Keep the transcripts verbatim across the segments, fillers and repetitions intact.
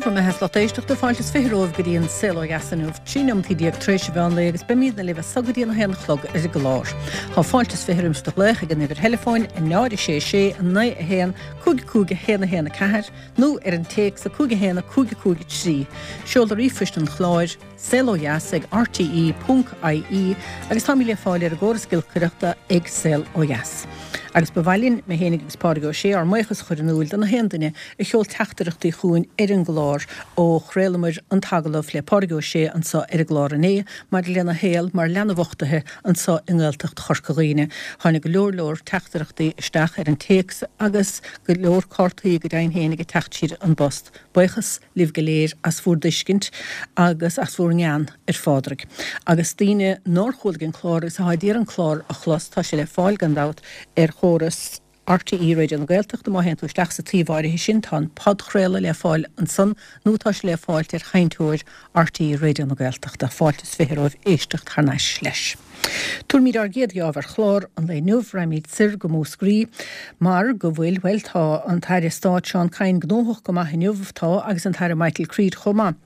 bhur mbeatha lucht éisteachta fáilte is fiche romhaibh go dtí an saol ó dheas inniu, trí neomat déag tar éis an mheán lae agus beimidne libh as so go dtí an haon a chlog ar an gclár. Tá fáilte is fiche roimh do ghlaoch ag an uimhir theileafóin a náid a sé sé a naoi a haon cúig cúig a haon a haon a ceathair nó ar an téacs a cúig a haon a cúig a cúig a trí. Seoladh ríomhphoist an chláir saol ó dheas ag rte ponc ie agus táimid le fáil ar an gcóras giolcaireachta ag Saol Ó Dheas. Agus ba mhaith linn, mé féinig agus Pádraig Ó Sé, ár mbuíochas a chur in iúl do na haon duine a sheol teachtaireachtaí chugainn ar an gclár ó chraolamar an t-agallamh le Pádraig Ó Sé anseo ar an gclár inné maidir lena shaol mar leanbh uchtaithe anseo i nGaeltacht Chorca Dhuibhne. Tháinig go leor leor teachtaireachtaí isteach ar an téacs agus go leor cártaí go deimhin féinig ag teacht tríd an bpost. Buíochas libh go léir as bhur dtuiscint agus as bhur ngean ar Phádraig. Agus daoine nár chualaigh an clár agus atá ag iarraidh an clár a chlos, tá sé le fáil gan dabht ar chóras RTÉ Raidió na Gaeltachta, má théann tú isteach sa tsuíomh áirithe sin, tá an podchraoladh le fáil ansan nó tá sé le fáilt ar sheinnteoir RTÉ Raidió na Gaeltachta. Fáilte is fiche romhaibh éisteacht thar n-ais leis. Tabharfaimid ár gcéad gheábh ar chlár an lae inniu, raghaimid soir go Múscraí mar go bhfuil, bhuel, tá an tAire Stáit Seán Kyne gnóthach go maith inniu, tá, agus an tAire Michael Creed chomh maith.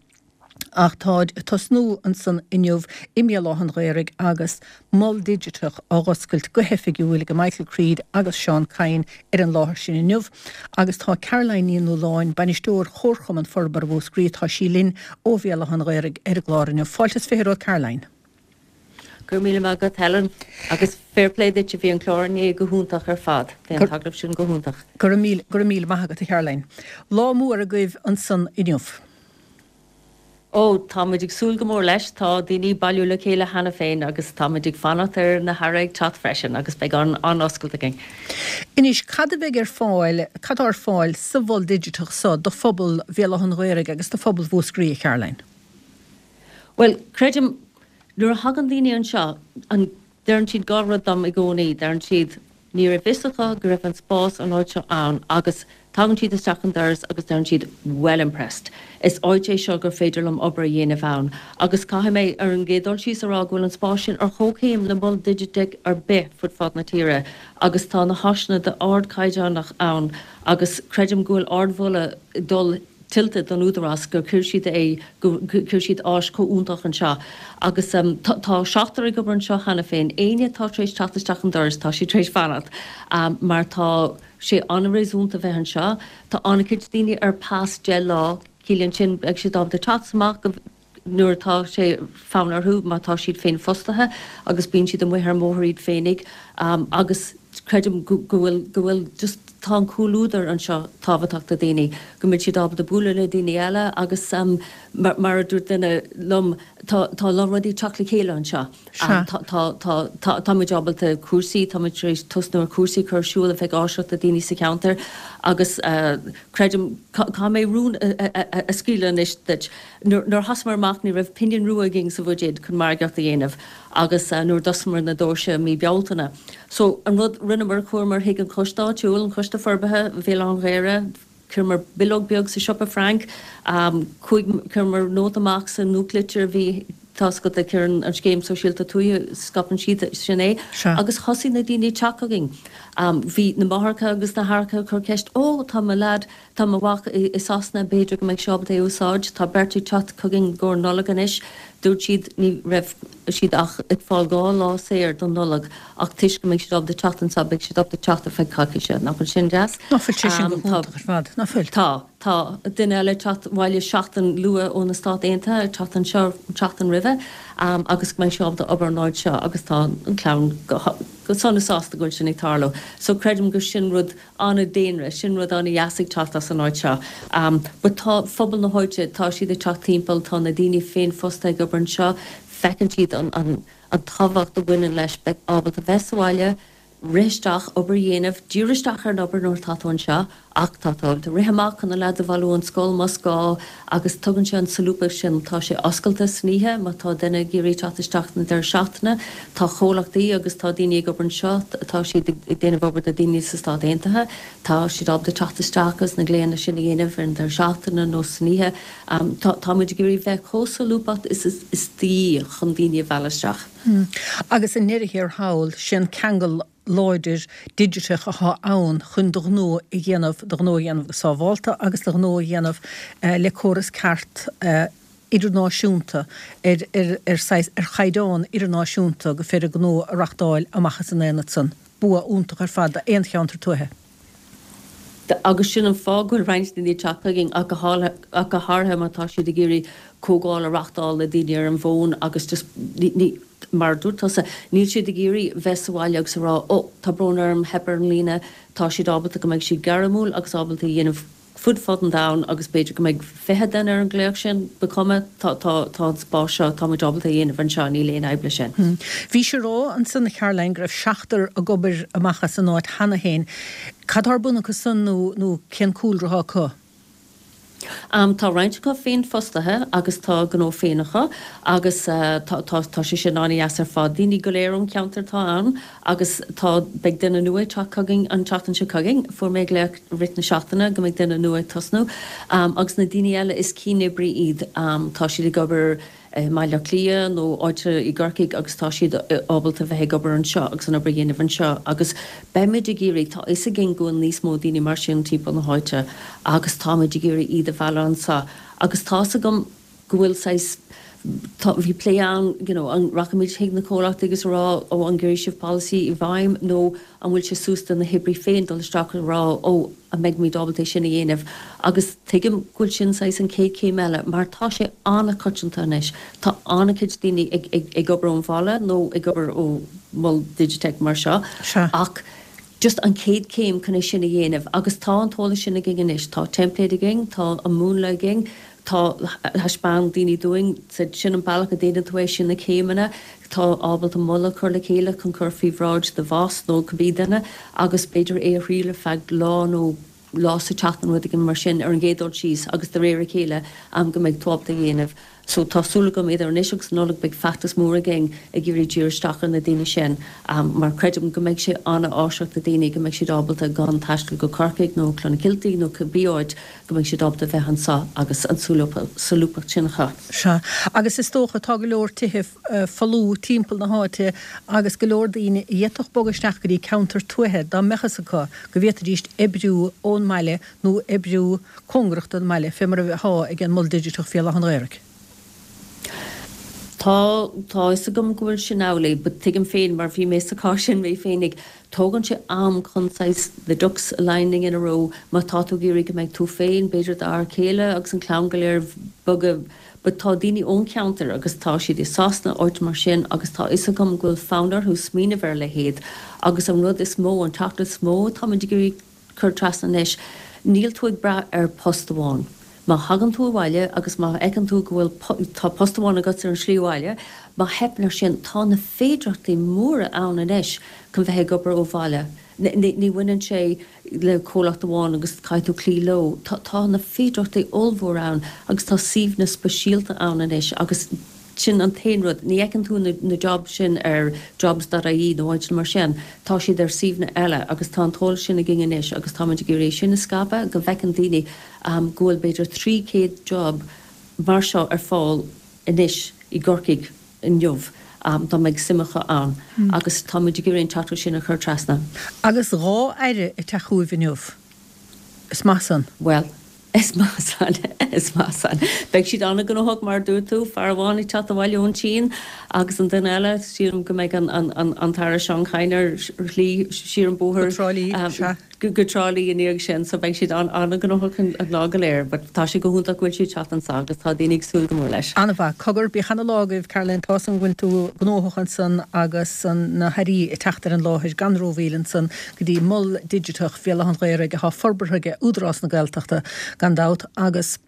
Ach táid ag tosnú ansan inniu i mBéal Átha an Ghaorthaidh agus Mol Digiteach á dh'oscailt go hoifigiúil ag Michael Creed agus Seán Kyne ar an láthair sin inniu. Agus tá Caroline Ní Nualláin, Bainisteoir Chomharchumann Forbartha Mhúscraí, tá sí linn ó Bhéal Átha an Ghaorthaidh ar an gclár inniu. Fáilte is fiche romhat Caroline. Go raibh míle maith agat Helen agus fair play duit a bhí an clár inné go hiontach ar fad. Bhí an t-agallamh sin go hiontach. Go raibh míle, go raibh míle maith agat a Charoline. Lá mór agaibh ansan inniu. Ó, tá muid ag súil go mór leis. Tá daoine ag bailiú le chéile cheana féin agus tá muid ag fanacht ar na hAirí ag teacht freisin agus beidh an-oscailt againn. Anois, cad a bheidh ar fáil, cad tá ar fáil sa mhol digiteach so do phobal Bhéal Átha an Ghaorthaidh agus do phobal Mhúscraí, a Charoline? Bhuel, creidim, nuair a thagann daoine anseo, an, deireann siad dhá rud dom i gcónaí, deireann siad, Ní raibh fhios acu go raibh an spás an áit seo ann agus tagann siad isteach an doras agus deireann siad 'well impressed'. Is áit é seo gur féidir liom obair a dhéanamh ann. Agus caithfidh mé ar an gcéad dul síos a rá go bhfuil an spás sin ar chomhchéim le mol digiteach ar bith fud fad na tíre agus tá na háiseanna d'ardchaighdeánach ann agus creidim go bhfuil ardmholadh ag dul tuillte don Údarás gur chuir siad é, gur chuir siad áis chomh iontach anseo. Agus tá seachtar ag obair anseo cheana féin. Éinne atá tar éis teacht isteach an doras, tá siad tar éis fanacht mar tá sé an-réasúnta bheith anseo. Tá an-chuid daoine ar pas deich lá, ciallaíonn sin beidh siad ábalta teacht amach go. nuair atá sé fonn orthu, má tá siad féinfhostaithe agus bíonn siad amuigh ar an mbóthar iad féinig agus creidim go bhfuil, go bhfuil just, tá an comhluadar anseo tábhachtach do dhaoine, go mbeidh siad ábalta bualadh le daoine eile agus mar a dúirt duine liom, tá, tá a lán rudaí ag teacht le chéile anseo. Tá, tá, tá, tá, tá muid ábalta cúrsaí, tá muid tar éis tosnú ar chúrsaí a chur ar siúl a bheidh áisiúil do daoine sa cheantar agus creidim, caithfidh mé rún a scaoileadh anois duit. Nuair a thosaíomar amach ní raibh pingin rua againn sa bhuidéad chun margaíocht a dhéanamh agus nuair a d'osclamar na doirse mí Bealtaine. So an rud rinneamar, chuamar chuig an choiste áitiúil, an Coiste Forbartha Bhéal Átha an Ghaorthaidh, chuireamar bileog beag sa siopa Frank, chuaigh, chuireamar nóta amach sa nuachtlitir a bhí, tá's agat, a chuireann an Scéim Sóisialta Tuaithe, scaipeann siad sin é, agus thosaigh na daoine ag teacht chugainn. Bhí na máithreacha agus na haithreacha ag cur ceist, 'Ó, tá mo leaid, Tá mo mhac i Sasana, b'fhéidir go mbeidh sé ábalta é a úsáid. Tá beirt ag teacht chugainn i gcomhair Nollag anois. Dúirt siad ní raibh siad ach ag fáil dhá lá saor don Nollaig ach toisc go mbeidh siad ábalta teacht anseo beidh siad ábalta teacht ar feadh coicíse. Nach bhfuil sin deas? Nach bhfuil sé sin go hiontach ar fad, nach bhfuil? Tá. Tá duine eile ag teacht abhaile seachtain luath ó na Stát Aontaithe, ag teacht anseo an tseachtain roimhe agus go mbeidh sé ábalta obair an áit seo agus tá an chlann go sona sásta go bhfuil sin ag tarlú. So creidim gur sin rud an-daonra, sin rud an-dheas ag teacht as an áit seo. But tá phobal na háite, tá siad ag teacht timpeall, tá na daoine féinfhostaithe ag obair anseo, feiceann siad an an an tábhacht a bhaineann leis bheith ábalta bheith sa bhaile, rith isteach, obair a dhéanamh, díriú isteach ar an obair nuair atá tú anseo ach tá tú ábalta rith amach chun na leaids a bhailiú ón scoil más gá agus tugann sé an solúbthacht sin, tá sé oscailte san oíche má tá duine ag iarraidh teacht isteach na deireadh seachtaine, tá comhlachtaí agus tá daoine ag obair anseo, tá siad ag déanamh obair do daoine sa Stát Aontaithe, tá siad ábalta teacht isteach agus na glaonna sin a dhéanamh ar an deireadh seachtaine nó san oíche. Tá tá muid ag iarraidh bheith chomh solúbtha is is de dhíth chun daoine a mhealladh isteach. Agus i ndeireadh thiar thall, sé an ceangal láidir digiteach atá ann chun do ghnó a dhéanamh, do ghnó a dhéanamh go sábhálta agus do ghnó a dhéanamh le córas ceart idirnáisiúnta ar ar ar saghas ar chaighdeán idirnáisiúnta go féidir gnó a reachtáil amach as an aonad san. Bua iontach ar fad d'aon cheantar tuaithe. Agus sin an fáth go bhfuil roinnt daoine ag teacht chugainn ach go háirithe má tá siad ag iarraidh comhdháil a reachtáil le daoine ar an bhfón agus just ní mar a dúirt tusa, níl siad ag iarraidh bheith sa bhaile agus a rá 'Ó, tá brón orm, theip ar an líne', tá siad ábalta go mbeidh siad gairmiúil agus ábalta a dhéanamh fud fad an domhain agus b'fhéidir go mbeidh fiche duine ar an nglaoch sin, ba chuma, tá, tá, tá an spás seo, tá muid ábalta a dhéanamh anseo, níl aon fhadhb leis sin. Bhís ag rá ansan, a Charoline, go raibh seachtar ag obair amach as an áit cheana féin. Cad tá ar bun acu san nó, nó cén cúlra atá acu? Tá roinnt acu féinfhostaithe agus tá a ngnó féin acu agus tá, tá, tá sé sin an-dheas ar fad. Daoine go léir ón cheantar atá ann agus tá, beidh duine nua ag teacht chugainn an tseachtain seo chugainn. Fuair mé glaoch rith na seachtaine go mbeidh duine nua ag tosnú. Agus na daoine eile is cianoibrí iad. Tá siad ag obair i mBaile Átha Cliath nó áit i gCorcaigh agus tá siad ábalta bheith ag obair anseo agus an obair a dhéanamh anseo agus beimid ag iarraidh, tá fhios againn go bhfuil níos mó daoine mar sin timpeall na háite agus táimid ag iarraidh iad a mhealladh anseo agus tá's agam go bhfuil saghas, tá, bhí plé ann you know an rachaimid chuig na comhlachtaí agus a rá ó an gcuirfidh sibh polasaí i bhfeidhm nó an bhfuil sé suas do na hoibrí féin dul isteach a rá ó an mbeidh muid ábalta é sin a dhéanamh agus tuigim go bhfuil sin saghas an chéad chéim eile mar tá sé an-choitianta anois, tá an-chuid daoine ag ag ag obair ón bhaile nó ag obair ó mhol digiteach mar seo ach just an chéad chéim chun é sin a dhéanamh agus tá an t-eolas sin againn anois, tá teimpléad againn, tá an múnla againn, tá, thaispeáin daoine dúinn, said sin an bealach a déanann tú é, sin na céimeanna, tá ábalta moladh a chur le chéile chun cur faoi bhráid do bhoss nó cibé duine agus b'fhéidir é a thriail ar feadh lá nó lá sa tseachtain rud éigin mar sin ar an gcéad dul síos agus de réir a chéile go mbeidh tú ábalta a dhéanamh. So tá súil agam idir anois agus an Nollaig beidh feachtas mór againn ag iarraidh díriú isteach ar na daoine sin mar creidim go mbeidh sé an-áiseach do daoine go mbeidh siad ábalta gan taisteal go Corcaigh nó Clonakilty nó cibé áit go mbeidh siad ábalta bheith anseo agus an solúbthacht sin acu. Sea, agus is dócha tá go leor tithe folamh timpeall na háite agus go leor daoine a d'fhéadfadh bogadh isteach go dtí ceantar tuaithe dá mbeadh fhios acu go bhféadfaidís oibriú ón mbaile nó oibriú cóngarach don mbaile, fé mar atá ag an Mol Digiteach Bhéal Átha an Ghaorthaidh. Tá, tá fhios agam go bhfuil sin amhlaidh, but tuigim féin, mar bhí mé sa chás sin mé féinig, tógann sé am chun saghas the ducks lining in a row, má tá tú ag iarraidh go mbeidh tú féin, b'fhéidir d'fhear céile agus an clann go léir bogadh, but tá daoine ón cheantar agus tá siad i Sasana, áit mar sin agus tá fhios agam go bhfuil fonn orthu smaoineamh ar a leithéid agus an rud is mó, an teachtaireacht is mó atáimid ag iarraidh cur trasna anois, níl tú ag brath ar post amháin. Má thagann tú abhaile agus má fheiceann tú go bhfuil, tá post amháin agat ar an slí abhaile, má theipeann ar sin, tá na féidearthachtaí móra ann anois chun bheith ag obair ó bhaile. Ní bhaineann sé le comhlacht amháin agus caithfidh tú cloí leo. Tá, tá na féidearthachtaí ollmhóra ann agus tá suíomhanna speisialta ann anois agus Sin an t-aon rud. Ní fheiceann tú na jobs sin ar jobs dot ie nó áiteanna mar sin. Tá siad ar suíomhanna eile agus tá an t-eolas sin againn anois agus táimid ag iarraidh é sin a scaipeadh go bhfeiceann daoine go bhfuil b'fhéidir trí chéad job mar seo ar fáil anois i gCorcaigh inniu dá mbeadh suim acu ann agus táimid ag iarraidh an teachtaireacht sin a chur trasna. Agus dhá aire ag teacht chugaibh inniu. Is maith san. Bhuel. Is maith san, is maith san. Beidh siad an-ghnóthach, mar a dúirt tú, fear amháin ag teacht abhaile ón tSín agus an duine eile, sílim go mbeidh an tAire Seán Kyne ar shlí siar an bóthar Go Trá Lí, sea. go Trá Lí i ndiaidh sin, so beidh siad an-ghnóthach an lá go léir. But tá sé go hiontach go bhfuil siad ag teacht anso agus tá daoine ag súil go mór leis. An-mhaith. Cogar, bíodh ana-lá agaibh, Caroline, tá's agam go bhfuil tú gnóthach ansan agus na hAirí ag teacht ar an láthair gan rómhoill ansan. go dtí Mol Digiteach Bhéal Átha an Ghaorthaidh atá forbartha ag Údarás na Gaeltachta gan dabht agus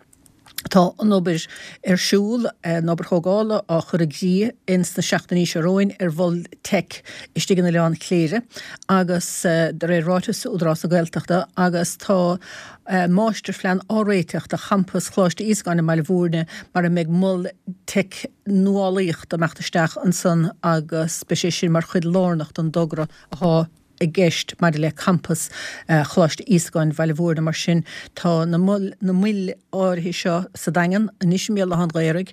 tá an obair ar siúl, an obair thógála á chur i gcrích ins na seachtainí seo romhainn ar Mhol Teic istigh in Oileán Chléire agus de réir ráiteas Údarás na Gaeltachta agus tá máistirphlean á réiteach do champas Choláiste Íosagáin i mBaile Bhúirne mar a mbeidh Mol Teic nuálaíochta ag imeacht isteach ansan agus beidh sé sin mar chuid lárnach den dtogra atá i gceist maidir le campas Choláiste Íosagáin Bhaile Mhúirne. Mar sin, tá na na moil áirithe seo sa Daingean, anois i mBéal Átha an Ghaorthaidh,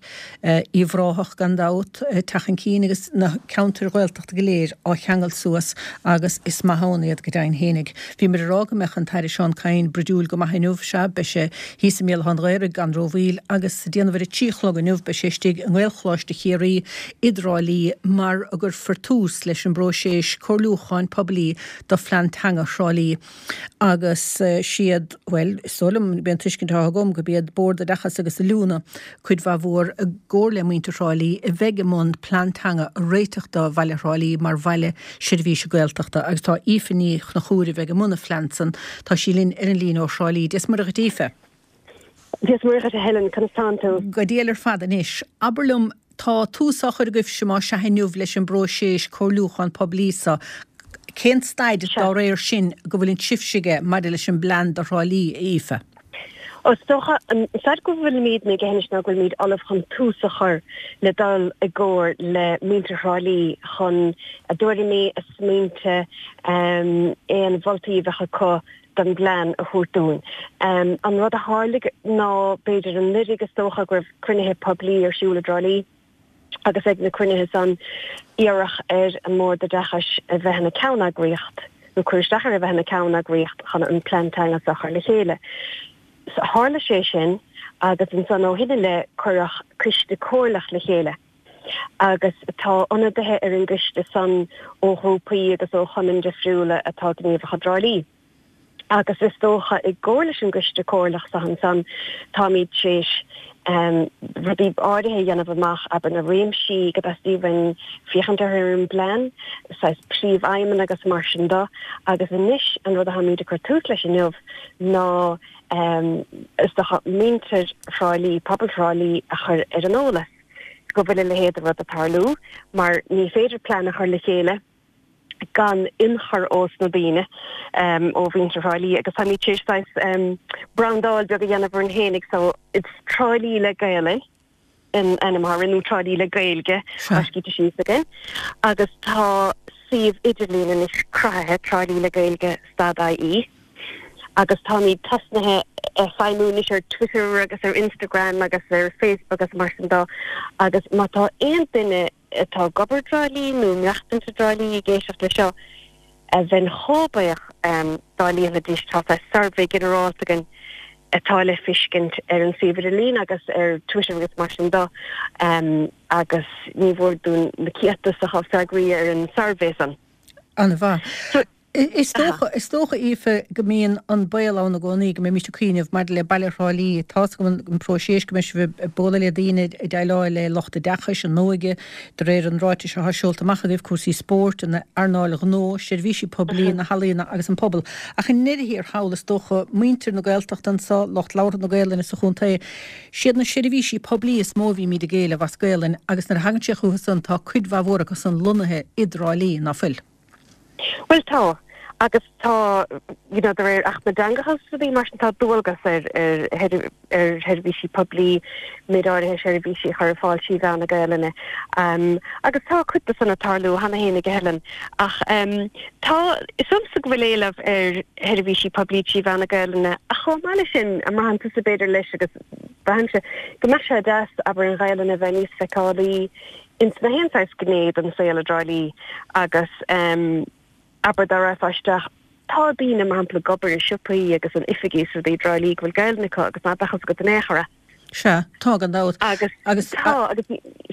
Uíbh Ráthach gan dabht, teacht chun cinn agus na ceantair Ghaeltachta go léir á cheangal suas agus is maith ann iad go deimhin fhéinig. Bhíomar ag rá go mbeadh an tAire Seán Kyne bruidiúil go maith inniu, sea, beidh sé thíos i mBéal Átha an Ghaorthaidh gan rómhoill agus ag déanamh ar a trí a chlog inniu beidh sé istigh i nGaelcholáiste Chiarraí i dTrá Lí mar a gcuirfear tús leis an bpróiseas comhairliúcháin poiblí do Phlean Teanga Thrá Lí agus siad, bhuel, is dóigh liom, b'é an tuiscint atá agam, gurb iad Bord Oideachais agus Oiliúna, cuid mhaith mhór, i gcomhar le muintir Thrá Lí, a bheidh i mbun plean teanga a réiteach do bhaile Thrá Lí mar bhaile seirbhíse Gaeltachta agus tá Aoife Ní Chonchúir a bheidh i mbun an phlean san, tá sí linn ar an líne ó Thrá Lí. Dia is Muire dhuit Aoife. Dia is Muire dhuit a Helen, conas tánn tú? Go diail ar fad anois. Abair liom, tá tús á chur agaibhse más ea inniu leis an bpróiseas comhairliúchán poiblí so. Cén staid dá réir sin go bhfuileann sibhse aige maidir leis an bplean do Thrá Lí, a Aoife? Ó, is dócha, an staid go bhfuilimídne aige anois ná go bhfuilimíd ullamh chun tús a chur le dul i gcomhar le muintir Thrá Lí chun a dtuairimí, a smaointe, aon mholtaí a bheadh acu don bplean a thabhairt dúinn. An rud a tharlaigh ná, b'fhéidir anuraidh is dócha, go raibh cruinnithe poiblí ar siúl i dTrá Lí agus ag na cruinnithe san iarradh ar an mBord Oideachais a bheith ina ceanneagraíocht nó cur isteach ar a bheith ina ceanneagraíocht chun an plean teanga seo a chur le chéile. Tharla sé sin agus ansan ó shin i leith cuireadh coiste comhairleach le chéile. Agus tá ionadaithe ar an gcoiste san ó ghrúpaí agus ó chumainn difriúla atá gníomhach i dTrá Lí. Agus is dócha, i gcomhar leis an gcoiste comhairleach so ansan, táimid tar éis rudaí áirithe a dhéanamh amach, abair na réimsí go dteastaíonn uainn féachaint orthu ar an bplean, saghas príomhaidhmeanna agus mar sin de. Agus anois an rud atáimid ag cur tús leis inniu ná is dócha muintir Thrá Lí, pobal Thrá Lí a chur ar an eolas go bhfuil a leithéid de rud ag tarlú mar ní féidir plean a chur le chéile gan ionchur ós na daoine, ó mhuintir Thrá Lí agus táimid tar éis saghas brandáil beag a dhéanamh orainn fhéinig so it's Trá Lí le Gaelainn an ainm atá orainn nó Trá Lí le Gaeilge tá scríte síos againn agus tá suíomh idirlín anois cruthaithe, Trá Lí le Gaeilge stad IE. Agus táimid tosnaithe ag feidhmiú anois ar Twitter agus ar Instagram agus ar Facebook agus mar sin de agus má tá aon duine atá ag obair i dTrá Lí nó ag maireachtaint i dTrá Lí ag éisteacht le seo, bheinn chomh buíoch dá líonfaidís, tá saghas suirbhé ginearálta againn atá le feiscint ar an suíomh idirlín agus ar Twitter agus mar sin de agus ní mhór dúinn na céadta is a freagraí ar an suirbhé san. An-mhaith. Is dócha, is dócha, Aoife, go mbíonn an baol ann i gcónaí go mbeimis ag cuimhneamh maidir le baile Thrá Lí, tá's agam an próiseas go mbeidh sibh ag bualadh le daoine, ag déileáil le lucht oideachais, an óige, de réir an ráitis atá seolta amach agaibh, cúrsaí spóirt, an earnáil ghnó, seirbhísí poiblí, na healaíona agus an pobal. Ach i ndeireadh thiar thall, is dócha, muintir na Gaeltachta anso, lucht labhartha na Gaelainne sa chontae, siad na seirbhísí poiblí is mó a bhímid ag éileamh as Gaelainn agus nuair a thagann sé chucu san tá cuid mhaith mhór acu san lonnaithe i dTrá Lí, ná fuil? Bhuel tá, agus tá, you know, de réir Acht na dTeangacha agus rudaí mar sin, tá dualgas ar ar ar sheirbhísí poiblí méid áirithe seirbhísí a chur ar fáil trí mheán na Gaelainne. Agus tá cuid de san ag tarlú cheana fhéinig, a Helen. Ach tá, is dócha go bhfuil éileamh ar sheirbhísí poiblí trí mheán na Gaelainne ach chomh maith leis sin, an mbraitheann tusa b'fhéidir leis agus braithimse go mbeadh sé deas, abair, an Ghaelainn a bheith níos feiceálaí ins na haon saghas gné den saol i dTrá Lí agus abair dá raghfá isteach, tá daoine mar shampla ag obair i siopaí agus in oifigí is rudaí i dTrá Lí go bhfuil Gaelainn acu agus ná beadh fhios agat in aon chor é. Sea, tá gan dabht. Agus, agus tá, agus,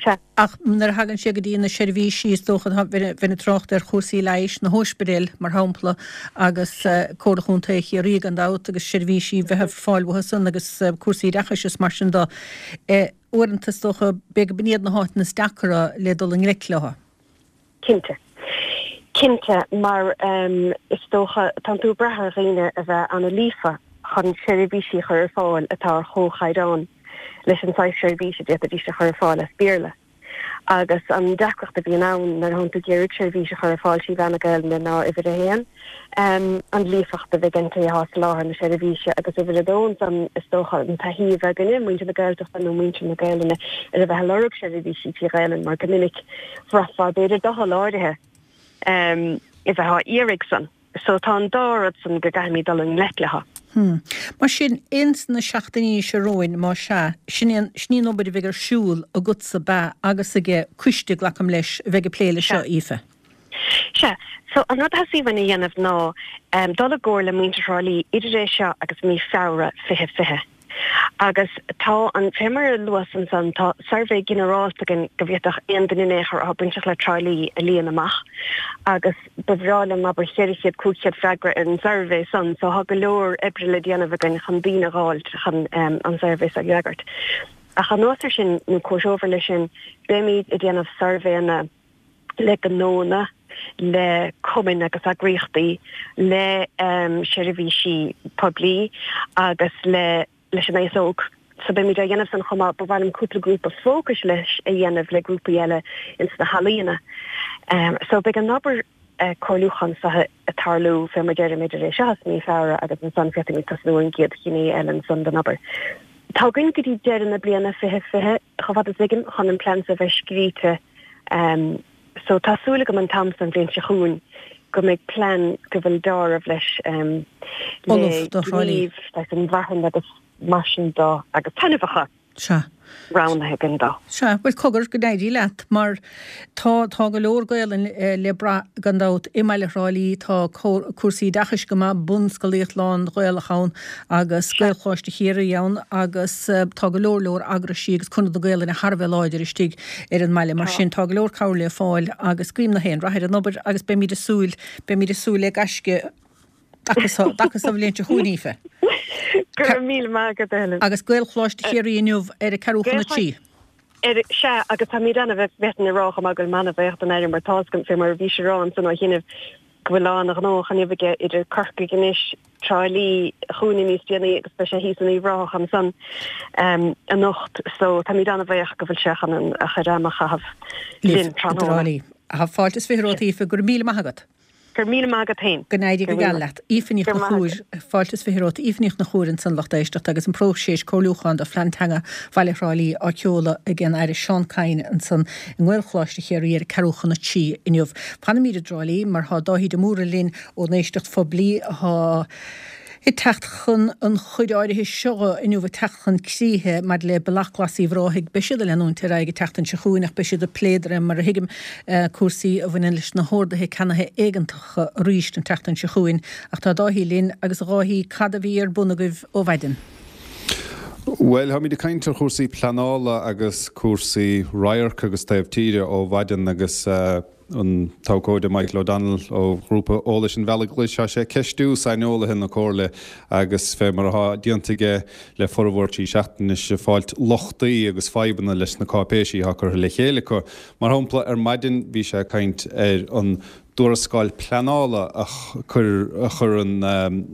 sea. Ach nuair a thagann sé go dtí na seirbhísí, is dócha, bheinn ag trácht ar chúrsaí leighis, na hóispidéil, mar shampla, agus Comhairle Chontae Chiarraí gan dabht, agus seirbhísí bheith ar fáil uathu san, agus cúrsaí oideachais is mar sin de. Uaireanta, is dócha, b'fhéidir go b'in iad na háiteanna is deacra le dul i ngleic leo. Cinnte. Cinnte, mar is dócha, tánn tú ag brath ar dhaoine a bheith an-líofa chun seirbhísí a chur ar fáil atá ar chomhchaighdeán leis an saghas seirbhís a d'fhéadfaidís a chur ar fáil as Béarla. Agus an deacracht a bhíonn ann nuair atánn tú ag iarraidh seirbhís a chur ar fáil trí mheán na Gaelainne ná uimhir a haon, an líofacht a bheith ag an té atá ag soláthar na seirbhíse agus uimhir a dó ansan is dócha an taithí a bheith againne, muintir na Gaeltachta nó muintir na Gaelainne, ar a bheith ag lorg seirbhísí trí Ghaelainn mar go minic bhraithfeá b'fhéidir doicheall áirithe. a bheith á iarraidh san. So tá an dá rud san go gcaithfimid dul i ngleic leo. Hmm. Mar sin, ins na seachtainí seo romhainn, má sea, sin í an, sin í an obair a bheidh ar siúl agatsa ba agus aige coiste, glacaim leis, a bheidh ag plé leis seo, Aoife. Sea. So an rud a theastaigh uainn a dhéanamh ná dul i gcomhairle le muintir Thrá Lí idir é seo agus mí Feabhra fiche fiche. Agus tá an, fé mar a luas ansan, tá suirbhé ginearálta againn go bhféadfadh aon duine in aon chor atá bainteach le Trá Lí a líon amach agus ba bhreá liom abair cheithre chéad, cúig chéad freagra ar an suirbhé san so tá go leor oibre le déanamh againn chun daoine a dh'fháilt chun an suirbhé so a fhreagairt. Ach anuas ar sin, nó comhthreomhar leis sin, beimid ag déanamh suirbhéanna le gnónna, le cumainn agus eagraíochtaí, le seirbhísí poiblí agus le leis an aos óg. So beimid á dhéanamh san chomh maith. Ba mhaith liom cúpla grúpa fócais leis a dhéanamh le grúpaí eile ins na healaíona. So beidh an obair comhairliúcháin seo ag tarlú fé mar deirim idir é seo is mí Feabhra agus ansan féadfaimid tosnú ar an gcéad ghné eile ansan den obair. Tá againn go dtí deireadh na bliana fiche fiche, chomh fada is a thuigim, chun an plean seo a bheith scríte. So tá súil agam an t-am san an bhliain seo chugainn go mbeidh plean go bhfuil deáramh leis le gníomh leis an mharthain agus mar sin de agus taitneamhacha Sea. roghnaithe againn dó. Sea, bhuel cogar, go n-éirí leat mar tá, tá go leor Gaelainn le brath gan dabht i mbaile Thrá Lí, tá cúrsaí oideachais go maith, bunscolaíocht lán-Ghaelach ann agus Gaelcholáiste Chiarraí ann agus tá go leor leor eagraisí agus Conradh na Gaelainne thar a bheith láidir istigh ar an mbaile. Mar sin tá go leor cabhair le fáil agus guím na haon rath ar an obair agus beimid ag súil, beimid ag súil le gaisce dtaca sa bhliain seo chugainn, Aoife. Go raibh míle maith agat, a Helen. Agus Gaelcholáiste Chiarraí inniu ar a ceathrú chun a trí. Sea, agus táimid an-bhuíoch, bhféadfainn a rá chomh maith go bhfuil mé an-bhuíoch don Aire mar tá's agam, fé mar a bhís a rá ansan ó chianaibh, go bhfuil lán a ghnóthach inniu aige idir Corcaigh anois, Trá Lí chugainne níos déanaí agus beidh sé thíos in Uíbh Ráthach ansan anocht so táimid an-bhuíoch go bhfuil sé chun a chuid ama a chaitheamh linn tráthnóna. Tá fáilte is fiche romhat Aoife, go raibh míle maith agat. Go raibh míle maith agat féin. Go n-éirí go geal leat. Aoife Ní Chonchúir, Fáilte is fiche romhat. Aoife Ní Chonchúir ansan lucht éisteachta agus an próiseas comhairliúcháin do Phlean Teanga Bhaile Thrá Lí á sheoladh ag an Aire Seán Kyne ansan i nGaelcholáiste Chiarraí ar a ceathrú chun a trí inniu. Fanfaimid i dTrá Lí mar tá Dáithí de Mórdha linn ón éisteacht phoiblí atá ag teacht chun an chuid áirithe seo inniu ag teacht chun críche maidir le Bealach Glas Uíbh Ráthaigh. Beidh siad ag leanúint ar aghaidh an tseachtain seo chugainn ach beidh siad ag plé de réir mar a thuigim cúrsaí a bhaineann leis na horduithe ceannaithe éigeantacha arís an tseachtain seo chugainn. Ach tá Dáithí linn agus a Dháithí cad a bhí ar bun agaibh ó mhaidin? Bhuel, táimid ag caint ar chúrsaí pleanála agus cúrsaí radharc agus taobh tíre ó mhaidin agus an t-abhcóide Michael O'Donnell ó Ghrúpa Eolais an Bhealaigh Ghlais, tá sé ag ceistiú saineolaithe na Comhairle agus fé mar atá déanta aige le formhór trí seachtaine anois, ag fáilt lochtaí agus fadhbanna leis na cáipéisí atá curtha le chéile acu. Mar shampla, ar maidin bhí sé ag caint ar an dtuarascáil pleanála a chuir an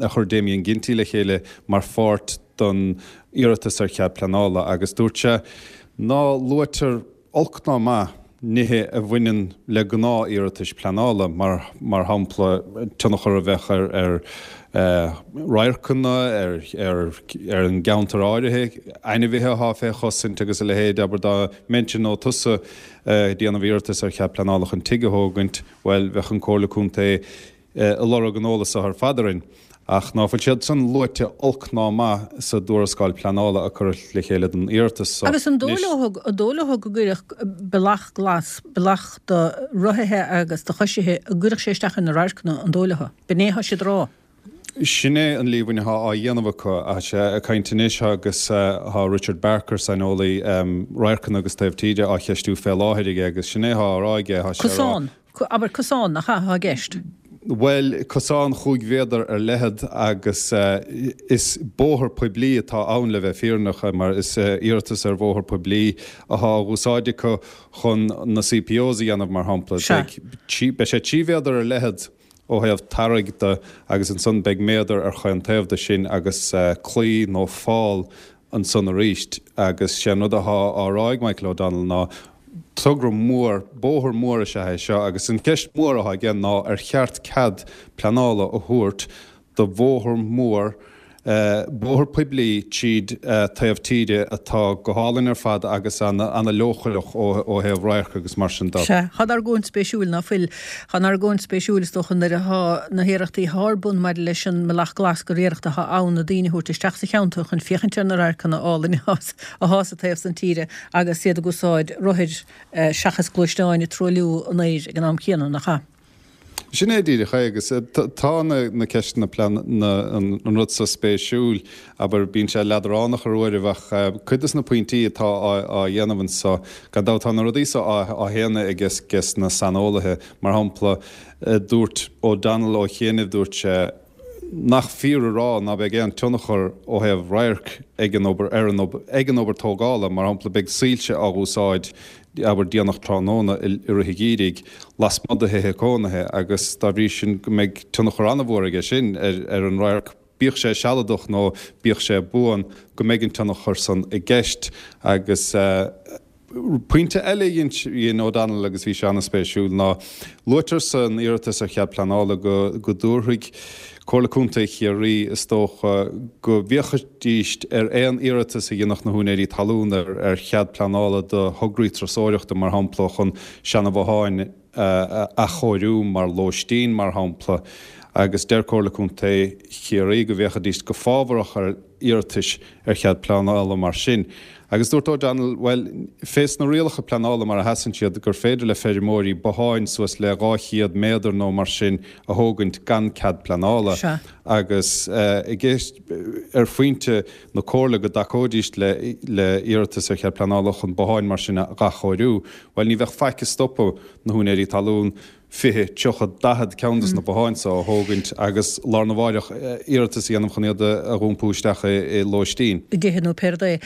a chuir Damien Ginty le chéile mar pháirt don iarratas ar chead pleanála agus dúirt sé ná luaitear olc ná maith nithe a bhaineann le gnáth-iarratais pleanála, mar mar shampla tionchar a bheadh ar ar radharcanna, ar ar ar an gceantar áirithe, ainmhithe atá fé chosaint agus a leithéid. Abair dá mbeinnse nó tusa ag déanamh iarratas ar chead pleanála chun tigh a thógaint, bhuel, bheadh an Comhairle Contae ag lorg an eolas seo ar fad orainn. Ach ná fuil siad san luaite olc ná maith sa dtuarascáil pleanála a cuireadh le chéile don iarratas so. Agus an dóigh leo, an dóigh leo go gcuirfeadh bealach glas, bealach do rothaithe agus do choisithe, an gcuirfeadh sé isteach ar na radharcanna, an dóigh leo? B'in é atá siad a rá. Sin é an líomhain atá á dhéanamh acu. Tá sé ag caint anois agus tá Richard Barker, saineolaí radharcanna agus taobh tíre, á cheistiú fé láthair aige agus sin é atá á rá aige. Tá sé á rá. Cosán. Abair cosán, nach ea, atá i gceist? Bhuel, cosán chúig mhéadar ar leithead agus is bóthar poiblí atá ann le bheith fírinneach mar is iarratas ar bhóthar poiblí atá á úsáid acu chun na CPOs a dhéanamh mar shampla. Beidh sé trí mhéadar ar leithead ó thaobh tarraig de agus ansan beidh méadar ar chaon taobh de sin agus claí nó fál ansan arís agus sé an rud athá á rá ag Michael O'Donnell ná togra mór, bóthar mór is ea é seo agus an cheist mhór athá aige ná ar cheart cead pleanála a thabhairt do bhóthar mór Bóthar poiblí tríd taobh tíre atá go hálainn ar fad agus ana-leochaileach ó thaobh radhairc agus mar sin de. Sea, tá an argóint spéisiúil, ná fuil? Tá an argóint spéisiúil, is dócha, nuair atá na hiarrachtaí atá ar bun maidir leis an mBealach Glas gur iarracht atá ann na daoine a thabhairt isteach sa cheantar chun féachaint ar na radharcanna álainne atá sa taobh san tíre agus iad ag úsáid rothair seachas gluaisteáin ag truailliú an aeir ag an am céanna, nach ea? Sin é díreach é agus tá na ceisteanna plean an rud so spéisiúil, abair, bíonn sé leadránach ar uairibh ach cuid des na pointí atá á dhéanamh anso, gan dabht tá na rudaí so á shéanadh ages na saineolaithe, mar shampla dúirt O'Donnell ó chianaibh, dúirt sé nach fíor a rá ná beidh aon tionchar ó thaobh radhairc ag an obair ar an ag an obair tógála, mar shampla beidh soilse á úsáid abair déanach tráthnóna i rith an gheimhridh lasmuigh de thithe cónaithe agus dá bhrí sin go mbeidh tionchar an-mhór aige sin ar ar an radharc, bíodh sé sealadach nó bíodh sé buan, go mbeidh an tionchar san i gceist agus. Pointe eile a dhein O'Donnell agus bhí sé an-spéisiúil ná luaitear san iarratas ar chead pleanála go go dtabharfaidh Comhairle Contae Chiarraí is dócha go bhféachfaidís ar aon iarratas a dhéanfadh na húinéirí talún ar ar chead pleanála do thograí turasóireachta mar shampla chun seana-bhotháin a athchóiriú mar lóistín mar shampla agus deir Comhairle Contae Chiarraí go bhféachfaidís go fábharach ar iarratais ar chead pleanála mar sin. Agus dúirt O'Donnell, bhuel, fés na rialacha pleanála mar a sheasann siad, gur féidir le feirmeoirí botháin suas le dhá chéad méadar nó mar sin a thógaint gan cead pleanála. Sea. Agus i gceist, ar phointe na comhairle go dtacóidís le le iarratas ar chead pleanála chun botháin mar sin a athchóiriú, bhuel, ní bheadh faic ag stopadh na húinéirí talún fiche, tríocha, daichead ceann des na botháin so a thógaint agus lá arna mháireach iarratas a dhéanamh chun iad a dh'iompú isteach i lóistín. i dtithe nó pé rud é.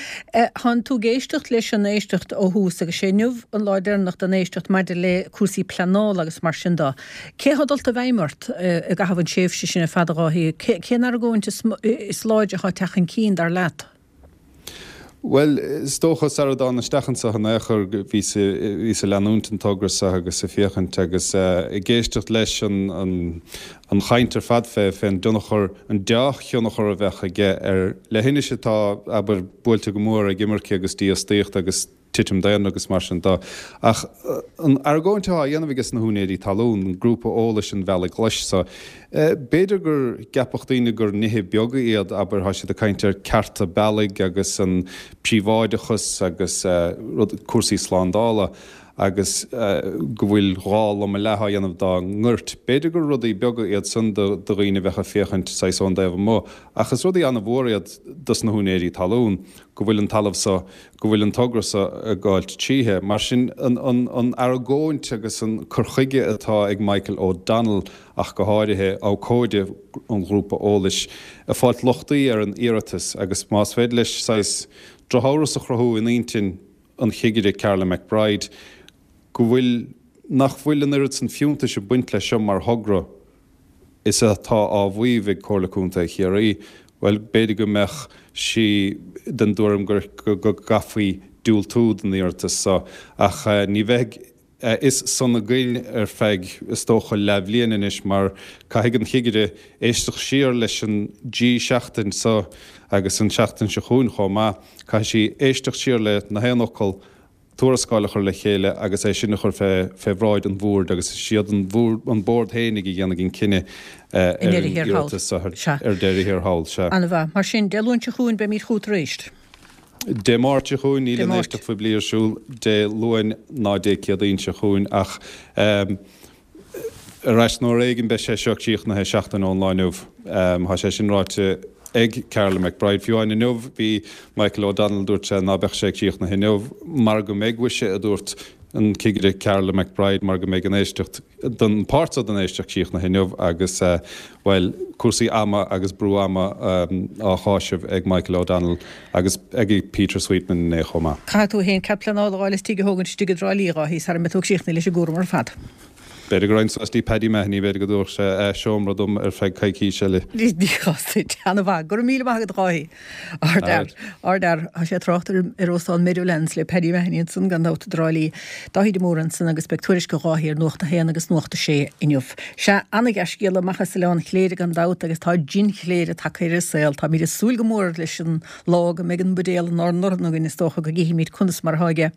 Thánn tú ag éisteacht leis an éisteacht ó thús agus sé inniu an lá deireanach den éisteacht maidir le cúrsaí pleanála agus mar sin de. Cé atá dulta i bhfeidhm ort i gcaitheamh an tréimhse sin ar fad a Dháithí? Cén argóint is láidre atá ag teacht chun cinn, dar leat? Bhuel, is dócha, sara dtána isteach anso in aon chor, bhíos bhíos ag leanúint an togra seo agus ag féachaint agus ag éisteacht leis an an chaint ar fad fé fén dtionchar, an deá-thionchar a bheadh aige ar leithinis atá, abair, buailte go mór ag imirce agus dífhostaíocht agus titim daonra agus mar sin de. Ach an argóint atá á dhéanamh ages na húinéirí talún, an grúpa eolais an Bhealaigh Ghlais so, b'fhéidir go gceapfadh daoine gur nithe beaga iad, abair, tá siad ag caint ar cearta bealaigh agus an príobháideachas agus rud, cúrsaí slándála agus go bhfuil dhá loma leath á dhéanamh dá ngoirt. B'fhéidir gur rudaí beaga iad san do dhaoine a bheadh ag féachaint saghas ón dtaobh amuigh, ach is rudaí an-mhór iad dos na húinéirí talún, go bhfuil an talamh so, go bhfuil an togra so ag gabháilt tríothu. Mar sin, an argóint agus an cur chuige atá ag Michael O'Donnell, ach go háirithe, abhcóide an ghrúpa eolais, ag fáilt lochtaí ar an iarratas agus más féidir leis saghas drochamhras a chruthú in intinn an chigire Carla McBride go bhfuil, nach bhfuil an oiread san fiúntais ag baint leis seo mar thogra is atá á mhaíomh ag Comhairle Contae Chiarraí, bhuel, b'fhéidir go mbeadh sí den dtuairim gur, go gcaithfí diúltú don iarratas seo. Ach ní bheidh a fhios san againn ar feadh, is dócha, leathbhliain anois mar caithfidh an chigire éisteacht siar leis an dtrí seachtain seo agus an tseachtain seo chugainn chomh maith. Caithfidh sí éisteacht siar le na haon fhocal, tuarascáil a chur le chéile agus é sin a chur fé bhráid an bhoird agus is iad an bord féinig a dhéanfaidh an cinneadh ar an iarratas seo ar deireadh thiar thall. Sea. Ana-mhaith. Mar sin, Dé Luain seo chugainn beimid chugat arís. Dé Máirt seo chugainn, níl an éisteacht phoiblí ar siúl Dé Luain ná Dé Céadaoin seo chugainn ach ar ais nó ar éigean beidh sé seo críochnaithe seachtain ón lá inniu. Tá sé sin ráite ag Carla McBride. Fiú amháin inniu bhí Michael O'Donnell, dúirt sé ná beadh sé críochnaithe inniu mar go mbeidh, mhuise, a dúirt an cigire Carla McBride, mar go mbeidh an éisteacht, don páirt seo den éisteacht críochnaithe inniu agus, bhuel, cúrsaí ama agus brú ama á cháiseamh ag Michael O'Donnell agus ag Peter Sweetman inné chomh maith. Caithfidh tú féin cead pleanála a fháil is tigh a thógaint istigh i dTrá Lí, a Dháithí, sara mbeidh tú críochnaithe leis an gcúram ar fad. B'fhéidir go raghainn suas dtí Paddy Mahony, b'fhéidir go dtabharfadh sé seomra dom ar feadh coicís eile. Ní chás duit. Ana-mhaith. Go raibh míle maith agat a Dháithí. Ardfhear. Ardfhear. Tá sé ag trácht ar ar Óstán Meadowlands le Paddy Mahony ansan gan dabht i dTrá Lí. Dáithí de Mórdha ansan agus beidh tuairisc ó Dháithí ar Nuacht a hAon agus Nuacht a Sé inniu. Sea, ana-dhea-scéala amach as Oileán Chléire gan dabht agus tá Jin Chléire tagtha ar an saol. Táimid ag súil go mór leis an lá go mbeidh an buidéal inár ndorn againn is dócha go gcífimid conas mar atá aige.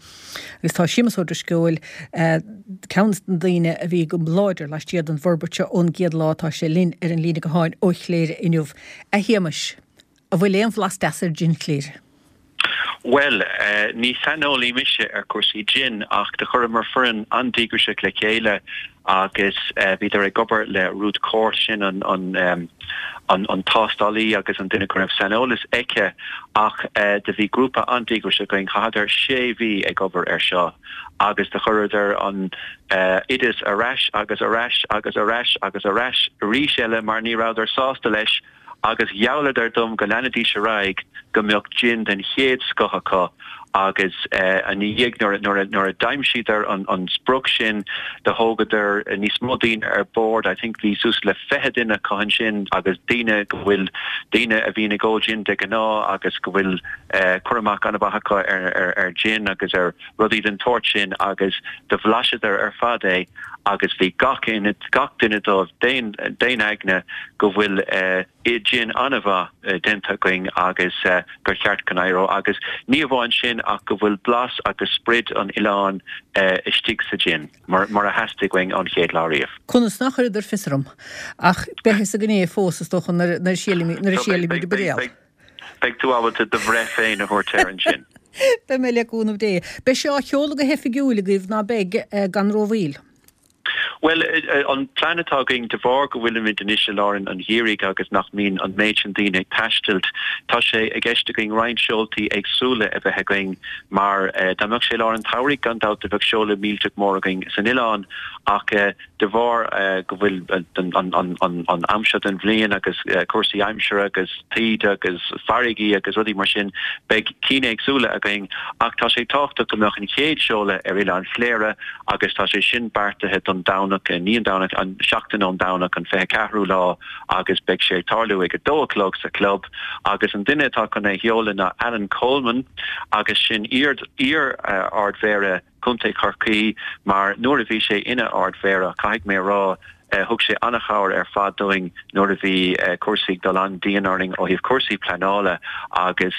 Agus tá Séamus Ó Drisceoil, ceann de na daoine a bhí go láidir laistiar den bhforbairt seo ón gcéad lá, tá sé linn ar an líne gutháin ó Chléire inniu. A Shéamais, an bhfuil aon bhlas deas ar Jin Chléire? Bhuel, ní saineolaí mise ar chúrsaí gin ach do chuireamar foireann an-díograiseach le chéile agus bhíodar ag obair le Ruth Court, sin an an an tástálaí agus an duine go raibh saineolas aici ach do bhí grúpa an-díograiseach againn, chaitheadar sé mhí ag obair ar seo agus do chuireadar an oideas ar ais agus ar ais agus ar ais agus ar ais arís eile mar ní rabhadar sásta leis agus ghealladar dom go leanfaidís ar aghaidh go mbeadh jin den chéad scoth acu agus ina dhiaidh nuair a d'aimsíodar an sprioc sin do thógadar níos mó daoine ar bord, I think bhí suas le fiche duine acu ansin agus daoine go bhfuil, daoine a bhíonn ag ól jin de ghnáth agus go bhfuil cur amach an-mhaith acu ar jin agus ar rudaí den tsórt sin agus do bhlaiseadar ar fad é agus bhí gach gach duine dóibh d'aon aigne go bhfuil jin an-mhaith déanta againn agus gur cheart go n-éireodh agus ní amháin sin ach go bhfuil blas agus sprid an oileáin istigh sa jin mar mar a theastaigh uainn ón chéad lá riamh. Conas nach chuireadar fios orm ach beidh fhios againn é fós is dócha nuair a síolfaimid an buidéal. Beidh tú ábalta do bhreith féin a thabhairt air ansin. Beidh mé le cúnamh Dé. Beidh sé á sheoladh go hoifigiúil agaibh ná beidh gan rómhoill? Bhuel, an plean atá againn, de bharr go bhfuilimid anois i lár an gheimhridh agus nach mbíonn an méid sin daoine ag taistilt, tá sé i gceist againn roinnt seoltaí éagsúla a bheith againn mar dá mbeadh sé i lár an tsamhraidh gan dabht do bheadh seoladh millteach mór againn san oileán ach de bharr go bhfuil an am seo den bhliain agus cúrsaí aimsire agus taoide agus farraigí agus rudaí mar sin, beidh cinn éagsúla againn ach tá sé tábhachtach go mbeadh an chéad seoladh ar Oileán Chléire agus tá sé sin beartaithe don Domhnach, ní an Domhnach, an seachtain ón Domhnach, an fiche ceathrú lá agus beidh sé ag tarlú ag a dó a chlog sa chlub agus an duine atá chun é a sheoladh ná Alan Coleman agus sin iar-Ard-Mhéara Contae Chorcaí mar nuair a bhí sé ina Ard-Mhéara, caithfidh mé a rá, thug sé an-chabhair ar fad dúinn nuair a bhí cúrsaí ag dul an-dian orainn ó thaobh cúrsaí pleanála agus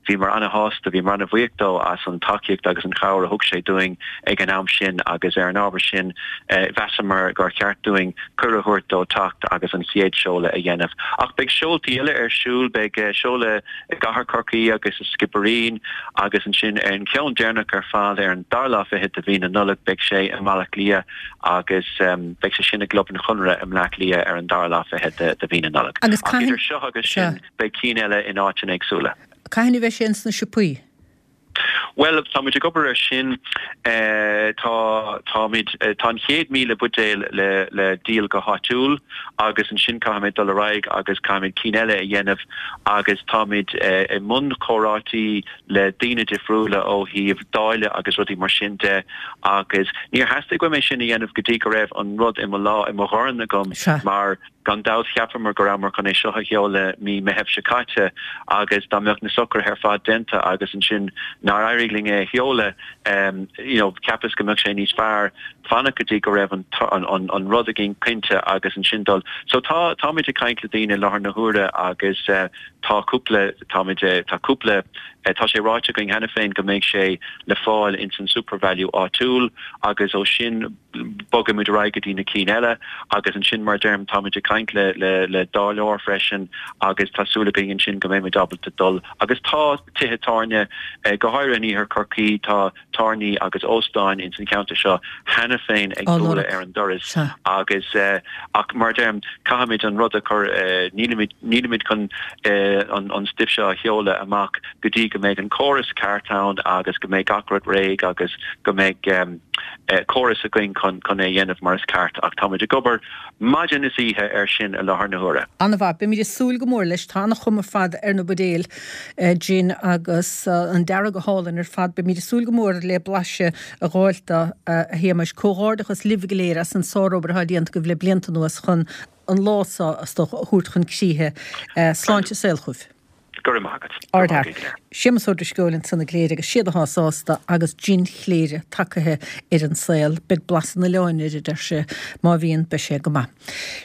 bhíomar an-shásta, bhíomar an-bhuíoch dó as an tacaíocht agus an chabhair a thug sé dúinn ag an am sin agus ar an ábhar sin mheasamar gur cheart dúinn cuireadh a thabhairt dó teacht agus an chéad seoladh a dhéanamh. Ach beidh seoltaí eile ar siúl, beidh seoladh i gCathair Chorcaí agus i Skibbereen agus ansin ar an cheann deireanach ar fad ar an dara lá fichead de mhí na Nollag beidh sé i mBaile Átha Cliath agus beidh sé sin i gClub an Chonartha i mBleá Cliath ar an dara lá fichead de mhí na Nollag. Agus Ach idir seo agus sin beidh cinn eile in áiteanna éagsúla. Cathain a bheidh sé ins na siopaí? Bhuel, táimid ag obair air sin. Tá, táimid, tá an chéad míle buidéal le, le díol go háitiúil agus ansin caithfimid dul ar aghaidh agus caithfimid cinn eile a dhéanamh agus táimid i mbun comhráití le daoine difriúla ó thaobh dáileadh agus rudaí mar sin de agus níor theastaigh uaim é sin a dhéanamh go dtí go raibh an rud i mo lá, i mo dhorn agam mar Gan dabht cheapamar go rabhamar chun é seo a sheoladh mí Meithimh seo caite agus dá mbeadh na socruithe ar fad déanta agus ansin nár éirigh linn é a sheoladh you know cheapas go mbeadh sé níos fearr fanacht go dtí go raibh an an an rud againn cinnte agus ansin dul. So tá táimid ag caint le daoine i láthair na huaire agus tá cúpla táimid tá cúpla tá sé ráite againn cheana féin go mbeidh sé le fáil ins an Supervalu áitiúil agus ó sin bogfaimid ar aghaidh go dtí na cinn eile agus ansin mar a deirim táimid ag caint le le le dáileoir freisin agus tá súil againn ansin go mbeimid ábalta dul agus tá tithe tábhairne go háirithe in iarthar Chorcaí tá tábhairní agus óstáin ins an cheantar seo cheana féin ag bualadh ar an doras agus ach mar a deirim caithfimid an rud a chur nílimid nílimid chun an an stuif seo a sheoladh amach go dtí go mbeidh an córas ceart ann agus go mbeidh gach rud réidh agus go mbeidh córas againn chun chun é a dhéanamh mar is ceart ach táimid ag obair maidin is oíche air sin i láthair na huaire. An-mhaith. Beimid ag súil go mór leis. Tá an-chuma ar fad ar na buidéil gin agus an dearadh go hálainn ar ar fad. Beimid ag súil go mór le blaiseadh a dh'fháilt de, a Shéamais. Comhghairdeachas libh go léir as an sárobair atá déanta agaibh le blianta anuas chun an lá seo is dócha a thabhairt chun críche. Sláinte is saol chugaibh. Go raibh maith agat. Go raibh maith agaibh go léir. Séamus Ó Drisceoil ansan i gCléire agus siad atá sásta agus jin Chléire tagaithe ar an saol. Beidh blas an oileáin air, a deir sé. Má bhíonn, beidh sé go maith.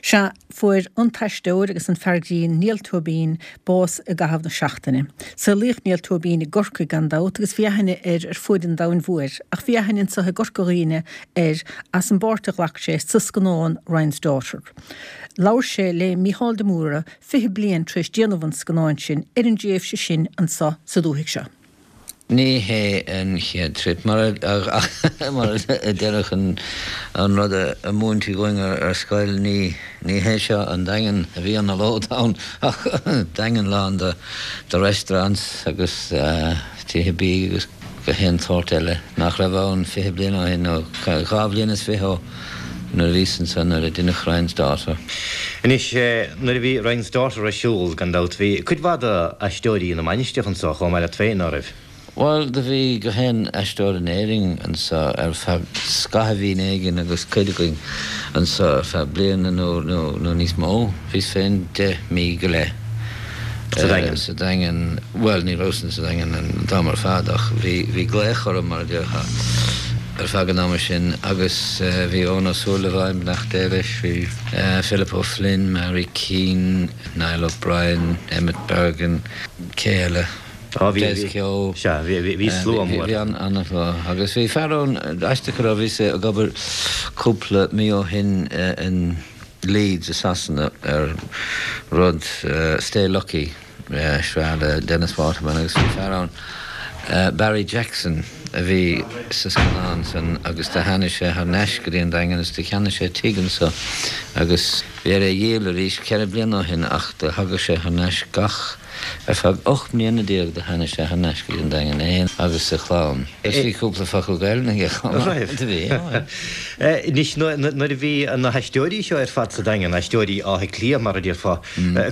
Sea, fuair an t-aisteoir agus an fear grinn Niall Tóibín bás i gcaitheamh na seachtaine. Saolaíodh Niall Tóibín i gCorcaigh gan dabht agus bhí aithne air ar fuaid an domhain mhóir ach bhí aithne anseo i gCorca Dhuibhne air as an bpáirt a ghlac sé sa scannán Ryan's Daughter. Labhair sé le Mícheál de Mórdha fiche bliain tar éis déanamh an scannáin sin ar an dtréimhse sin anseo sa dúthaigh seo. Ní hé an chéad trip, mar a déarfadh an rud a múintí dhúinn ar scoil, ní hé seo an Daingean a bhí anallód ann ach Daingean lán de restaurants agus tithe bídh agus gach aon tsórt eile nach raibh ann fiche bliain ó shin, nó dhá bhliain is fiche ó nuair a bhíos ansan nuair a deineadh Ryan's Daughter. Anois, nuair a bhí Ryan's Daughter ar siúl, gan dabht, bhí cuid mhaith d'aisteoirí na Mainistreach anso chomh maith leat féin, ná raibh? Bhuel, do bhí gach aon aisteoir in Éirinn anso ar feadh scaithimhín éigin agus cuid againn anso ar feadh bliana nó, nó, nó níos mó. Bhíos féin deich mí go leith. Sa Daingean? Sa Daingean. Bhuel, ní rabhas sa Daingean an t-am ar fad ach bhí, bhí glaoch orm, mar a déarfá, ar feadh an ama sin agus bhí Eoin Ó Súilleabháin, beannacht Dé leis, bhí Philip O'Flynn, Mary Keane, Niall O'Brien, Emmet Bergin, cé eile? Á, bhí, Des Keogh. Sea, bhí, bhí, bhí slua mór. Bhí an-shlua agus bhí fear ann, aisteach go raibh, bhíos ag obair cúpla mí ó shin in Leeds i Sasana ar rud Stay Lucky, sraith le Dennis Waterman agus bhí fear ann, Barry Jackson, a bhí sa scannán san agus do tháinig sé thar n-ais go dtí an Daingean agus do cheannaigh sé tigh anso agus bhí air é a dhíol arís ceithre bliana ó shin ach do thagadh sé thar n-ais gach Ar feadh ocht mbliana déag do tháinig sé thar n-ais go dtí an Daingean, é féin agus a chlann. Agus bhí cúpla focal Gaelainne aige chomh maith. Do bhí, ó. Anois, nuair a bhí na haisteoirí seo ar fad sa Daingean, aisteoirí Átha Cliath mar a déarfá,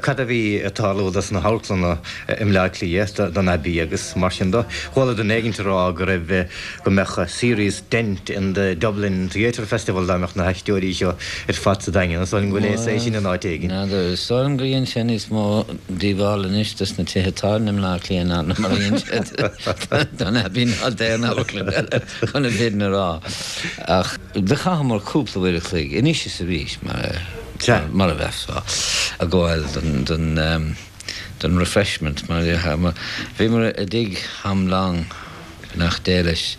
cad a bhí ag tarlú dos na hamharclanna i mBleá Cliath, don Abbey agus mar sin de? Chuala duine éigint ag rá go raibh, go mbeadh serious dent in the Dublin Theatre Festival dá mbeadh na haisteoirí seo ar fad sa Daingean. Is dóigh liom go léas é sin in áit éigin. N'fheadar. Is dóigh liom gur dhein sé níos mó díobhála anois dos na tithe tábhairne i mBleá Cliath ná mar a dhein sé don Abbey ná d'aon amharclann eile, chun an fhírinne a rá. Ach do chaitheamar cúpla uair a chloig, anois is arís, mar a bheifeá ag gabháil don don refreshment, mar a déarfá. Bhíomar i dtigh Tom Long, beannacht Dé leis.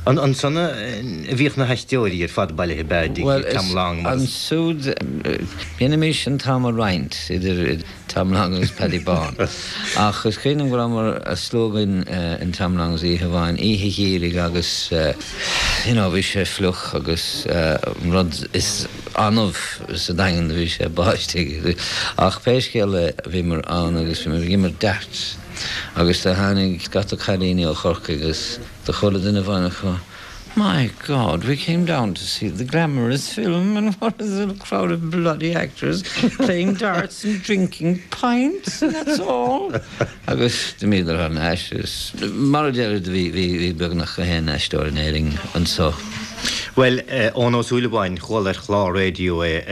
Ansan a bhíodh na haisteoirí ar fad bailithe, ab ea, i dtigh Tom Long mar is. Bhuel, ansiúd, dhéanaimis an t-am a roinnt idir Tom Long agus Paddy Bán. Ach is cuimhin liom go rabhamar slua againn in Tom Long's oíche amháin, oíche gheimhridh agus you know bhí sé fliuch agus an rud is annamh sa Daingean do bhí sé báistigh. Ach pé scéal é bhíomar ann agus bhíomar ag imirt darts agus do tháinig scata cailíní ó Chorcaigh agus Do chuala duine amháin acu, My God, we came down to see the glamorous film and what is it, a crowd of bloody actors playing darts and drinking pints and that's all! Agus d'imíodar thar n-ais agus mar a deirid bhí, bhí, bhí beagnach gach aon aisteoir in Éirinn anso. Bhuel, Eoin Ó Súilleabháin, chuala ar chlár raidió é,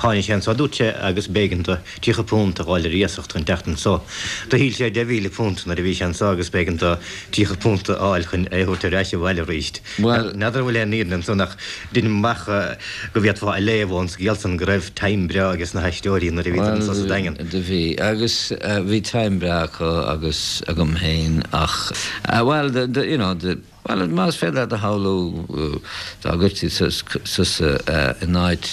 tháinig sé anso, dúirt sé, agus b'éigean do tríocha punt a dh'fháil ar iasacht chun teacht anso. Do thuill sé deich mhíle punt nuair a bhí sé anso agus b'éigean do tríocha punt a fháil chun é a thabhairt ar ais abhaile arís. Bhuel. N'fheadar an bhfuil aon fhírinne ansan ach deinim amach go bhféadfá a léamh ón scéal san go raibh time breá ages na haisteoirí nuair a bhíodar anso sa Daingean. Bhuel, do bhí. Agus bhí time breá acu agus agam féin ach, bhuel, do, you know, do, Bhuel, más féidir leat a shamhlú dá gcuirtí tusa in áit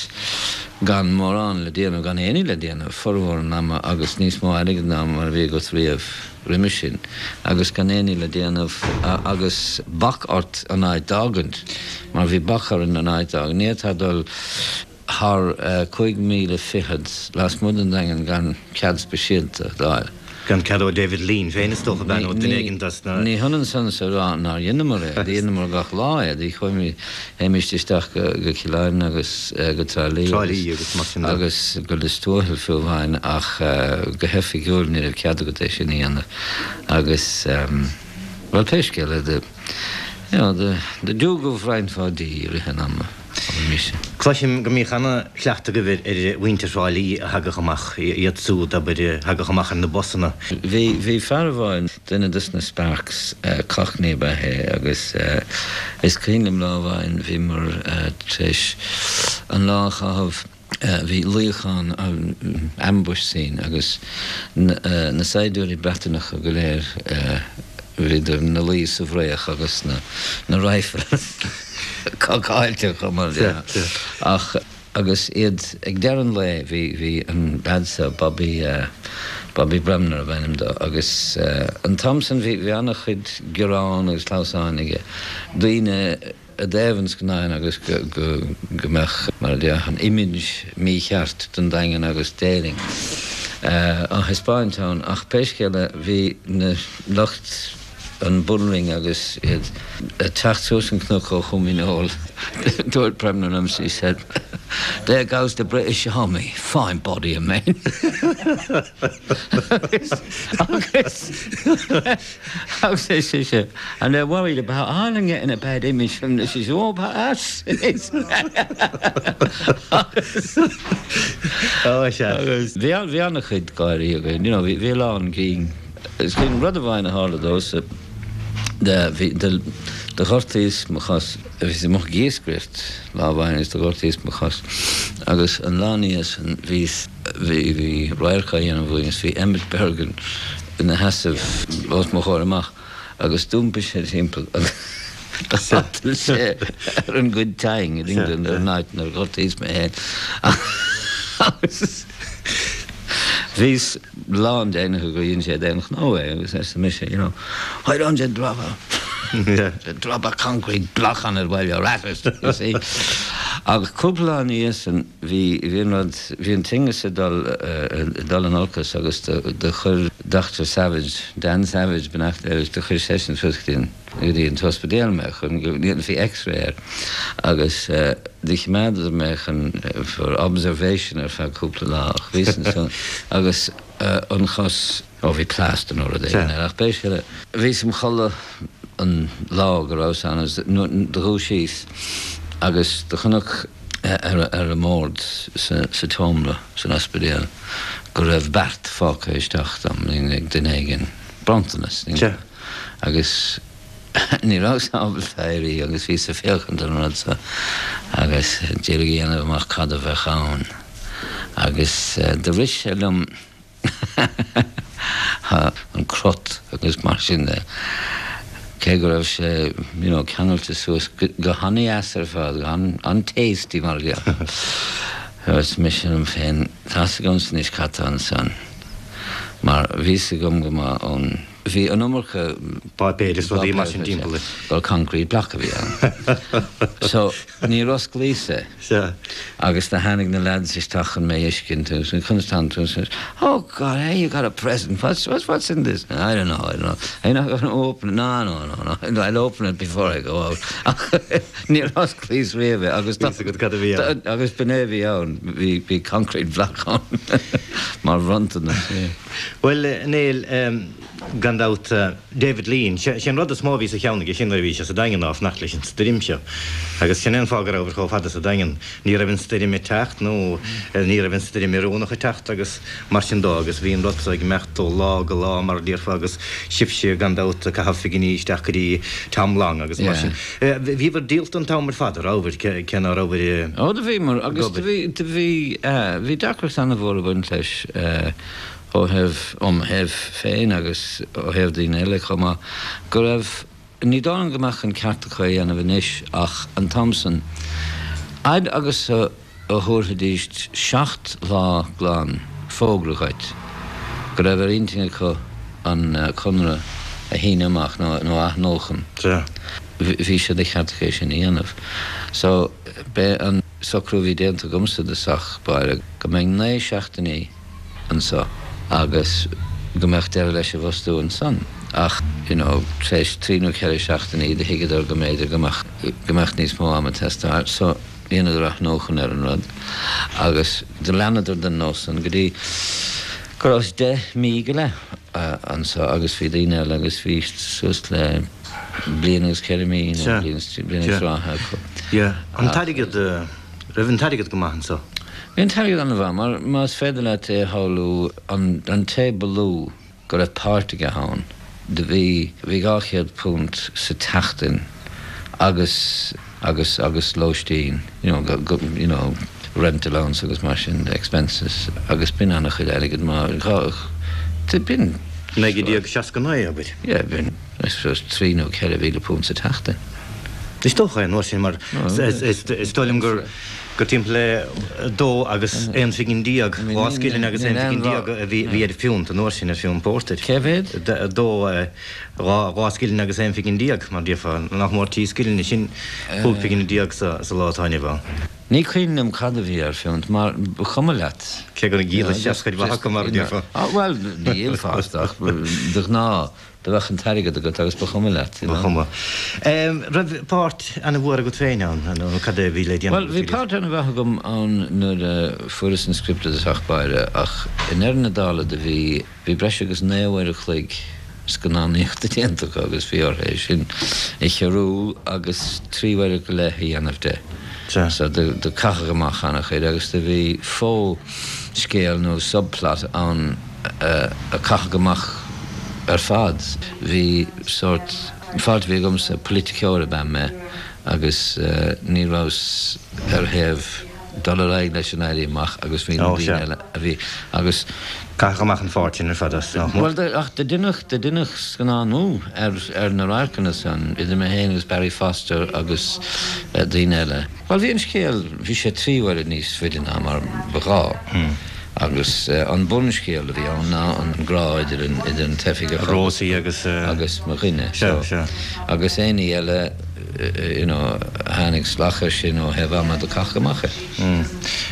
gan mórán le déanamh, gan aon ní le déanamh, formhór an ama agus níos mó airgid ná mar a bhí agat riamh roimhe sin agus gan aon ní le déanamh agus bac ort an áit d'fhágaint, mar bhí bac orainn an áit d'fhágaint. Ní fhéadfá dul. thar cúig mhíle fichead lasmuigh den Daingean gan cead speisialta d'fháil. Gan cead ó David Lean féin is dócha, ab ea, nó duine éigin dos na. Ní hionann san is a rá nár dheineamar é, dheineamar gach lá é, do chuaigh, théimist isteach go Cill Airne agus go Trá Lí agus mar sin de. agus go Lios Tuathail fiú amháin ach go hoifigiúil ní raibh cead agat é sin a dhéanamh agus. Bhuel, pé scéal é, do, you know, do, do diúgadh roinnt mhaith dí i rith an ama, abair mise. Cloisim go mbíodh ana-chleachtadh agaibh ar mhuintir Thrá Lí a thagadh amach, iad siúd, abair, a thagadh amach ar na busanna. Bhí, bhí fear amháin, duine dos na Sparks, Cockney ab ea é agus is cuimhin liom lá amháin bhíomar tar éis an lá a chaitheamh, Bhí luíochán, ambush scene, agus na saighdiúirí Breatanacha go léir, bhíodar ina luí sa bhfraoch agus na rifles cocáilte acu mar dhea. Ach agus iad ag deireadh an lae, bhí, bhí an leaid seo, Bobby, Bobby Bremner ab ainm dó, agus an t-am san bhí, bhí an-chuid gearán agus clamhsáin aige, daoine, i dtaobh an scannáin agus go mbeadh, mar a déarfá, an image mícheart den Daingean agus d'Éirinn á thaispeáint ann. Ach pé scéal é, bhí na lucht an bullring agus iad ag teacht suas an cnoc ó Chom Dhíneol, dúirt Bremner liom, he said, There goes the British Army, fine body of men. Agus agus ar sise, and they're worried about Ireland getting a bad image from this, it's all about us. Agus bhí bhí an-chuid gáirí againn, you know, bhí bhí a lán grinn. Is cuimhin rud amháin a tharla domhsa, bhí do ghortaíos mo chos, bhíos amuigh ag iascaireacht lá amháin agus do ghortaíos mo chos agus an lá ina dhiaidh san bhíos, bhí, bhí radharc á dhéanamh uainn agus bhí Emmet Bergin ina sheasamh os mo chomhair amach agus d'iompaigh sé timpeall agus do shotal sé ar an gcuid tine in England ar an áit inar ghortaíos mé féin agus Bhíos lán deimhnithe gur dhein sé d'aon ghnó é agus arsa mise, you know, why don't you drop a, drop a concrete block on it while you're at it, you see. Ach cúpla lá ina dhiaidh san bhí, bhí an rud, bhí an tinneas ag dul, ag dul in olcas agus do, do chuir Doctor Savage, Dan Savage, beannacht Dé leis, do chuir seisean suas go dtí an, go dtí an t-ospidéal mé chun go ndéanfaí X-ray air agus do choimeádadar mé chun for observation ar feadh cúpla lá ach bhíos ansan agus an chos, ó bhí plaster nó rud éigin air ach pé scéal é, bhíos im chodladh an lá go rabhas ann agus do dhúisíos agus do chonac ar an mbord sa tseomra san ospidéal go raibh beart fágtha isteach dom ag duine éigin, bronntanas. Agus ní rabhas ábalta éirí agus bhíos ag féachaint ar an rud so agus d'iarraidh a dhéanamh amach cad a bheadh ann. Agus do rith sé liom an crot agus mar sin de, cé go raibh sé you know ceangailte suas go han-dheas ar fad, go han-tasty mar a déarfá. Dúirt mise liom féin, tá's agamsa anois cad tá ansan mar bhí's agam go maith ón. Bhí an iomarca. Páipéir is rudaí mar sin timpeall air. Gur concrete block a bhí ann. So, níor osclaíos é. Sea. Agus do tháinig na lads isteach chun mé a fheiscint agus conas tánn tú? Oh God, hey, you got a present, what's, what's, what's in this? I don't know, I don't know. Are you not going to open it? No, no, no, no, I'll open it before I go out. Ach níor osclaíos riamh é agus Bhí a fhios agat cad a bhí ann. Agus b'in é a bhí ann, bhí, bhí concrete block ann mar bhronntanas, yeah. Bhuel, a Néill, gan dabht, David Lean, sé an rud is mó a bhí sa cheann aige sin nuair a bhí sé sa Daingean ná fanacht leis an stoirm seo. Agus sin é an fáth go rabhabhair chomh fada sa Daingean. Ní raibh an stoirm ag teacht nó ní raibh an stoirm oiriúnach ag teacht agus mar sin dó agus bhí an rud so ag imeacht ó lá go lá mar a déarfá agus sibhse gan dabht ag caitheamh figiní isteach go dtí Tom Long agus mar sin. Bhíobhair díolta an t-am ar fad, a rabhabhair, cé ná rabhabhair Ó do bhíomar agus do bhí, do bhí, bhí deacracht an-mhór ag baint leis. ó thaobh, ó mo thaobh féin agus ó thaobh daoine eile chomh maith, go raibh, ní dóigh liom go mbeadh an ceart acu é a dhéanamh anois ach an t-am san, fhad agus a thabharfaidís seacht lá glan fógra dhuit go raibh ar intinn acu an conradh a shíneadh amach nó a athnuachan, bhí sé de cheart acu é sin a dhéanamh. So, b'é an socrú a bhí déanta agamsa i dtosach báire go mbeinn naoi seachtainí, anso agus go mbeadh deireadh leis an bhfostú ansan ach you know tar éis trí nó ceithre seachtainí do thuigeadar go mb'fhéidir go mbeadh go mbeadh níos mó ama ag teastáil so dheineadar athnuachan ar an rud agus do leanadar den nós san go dtí Go rabhas deich mí go leith anso agus bhí daoine eile agus bhí suas le bliain agus ceithre mí nó bliain agus ráithe acu. An t-airgead, raibh an t-airgead go maith anso? Bhí an t-airgead an-mhaith mar más féidir leat é a shamhlú, an té ba lú go raibh páirt aige ann, do bhí, bhí dhá chéad punt sa tseachtain agus, agus, agus lóistín, you know, go, go, you know, rent allowance agus mar sin de, expenses, agus b'in an-chuid airgid mar dhá, b'in. Naoi déag seasca naoi, abair. Yeah, b'in, I suppose, trí nó ceithre mhíle punt sa tseachtain. Is dócha é an uair sin mar is dóigh liom gur gur timpeall le dó agus aon phingin déag, dhá scilling agus aon phingin déag a bhí ar phiúnt an uair sin, ar phiúnt pórtair. Cé mhéad? Dó, dhá, dhá scilling agus aon phingin déag, mar déarfá, nach mór trí scilling, sin cúig phingin déag sa lá atá inniu ann. Ní cuimhin liom cad a bhí ar phiúnt mar ba chuma leat. Cé gur dhíolais cuid mhaith acu mar a déarfá. Bhuel, ní dhíolfá ach de ghnáth. Do bheadh an t-airgead agat agus ba chuma leat, you Ba know. chuma. Raibh páirt ana-mhór agat féin ann, nó cad é a bhí le déanamh Bhuel, agat bhí faoi páirt ana-mhaith agam ann nuair a fuaireas an script i dtosach báire ach i ndeireadh na dála do bhí, bhí breis agus naoi uair a chloig scannánaíochta déanta acu agus bhí orthu é sin a chiorrú agus trí uair go leith a dhéanamh de. Sea. So do, do caitheadh amach ana-chuid agus do bhí fo-scéal nó subplot ann a caitheadh amach ar fad. Bhí sórt, an pháirt a bhí agamsa, politiceoir ab ea mé agus ní rabhas ar thaobh dul ar aghaidh leis an Éirí Amach agus bhí na daoine eile a bhí agus. Caitheadh amach an pháirt sin ar fad as, nach mór. Bhuel, ach do deineadh, do deineadh scannánú ar, ar na radharcanna san, idir mé féin agus Barry Foster agus daoine eile. Bhuel, bhí an scéal, bhí sé trí huaire níos faide ná mar ba ghá. Agus an bunscéal a bhí ann ná an grá idir an idir an t-oifigeach Rosie agus agus mo dhuine. Sea, sea. Agus aon ní eile you know a tháinig salach air sin ó thaobh ama do caitheadh amach é.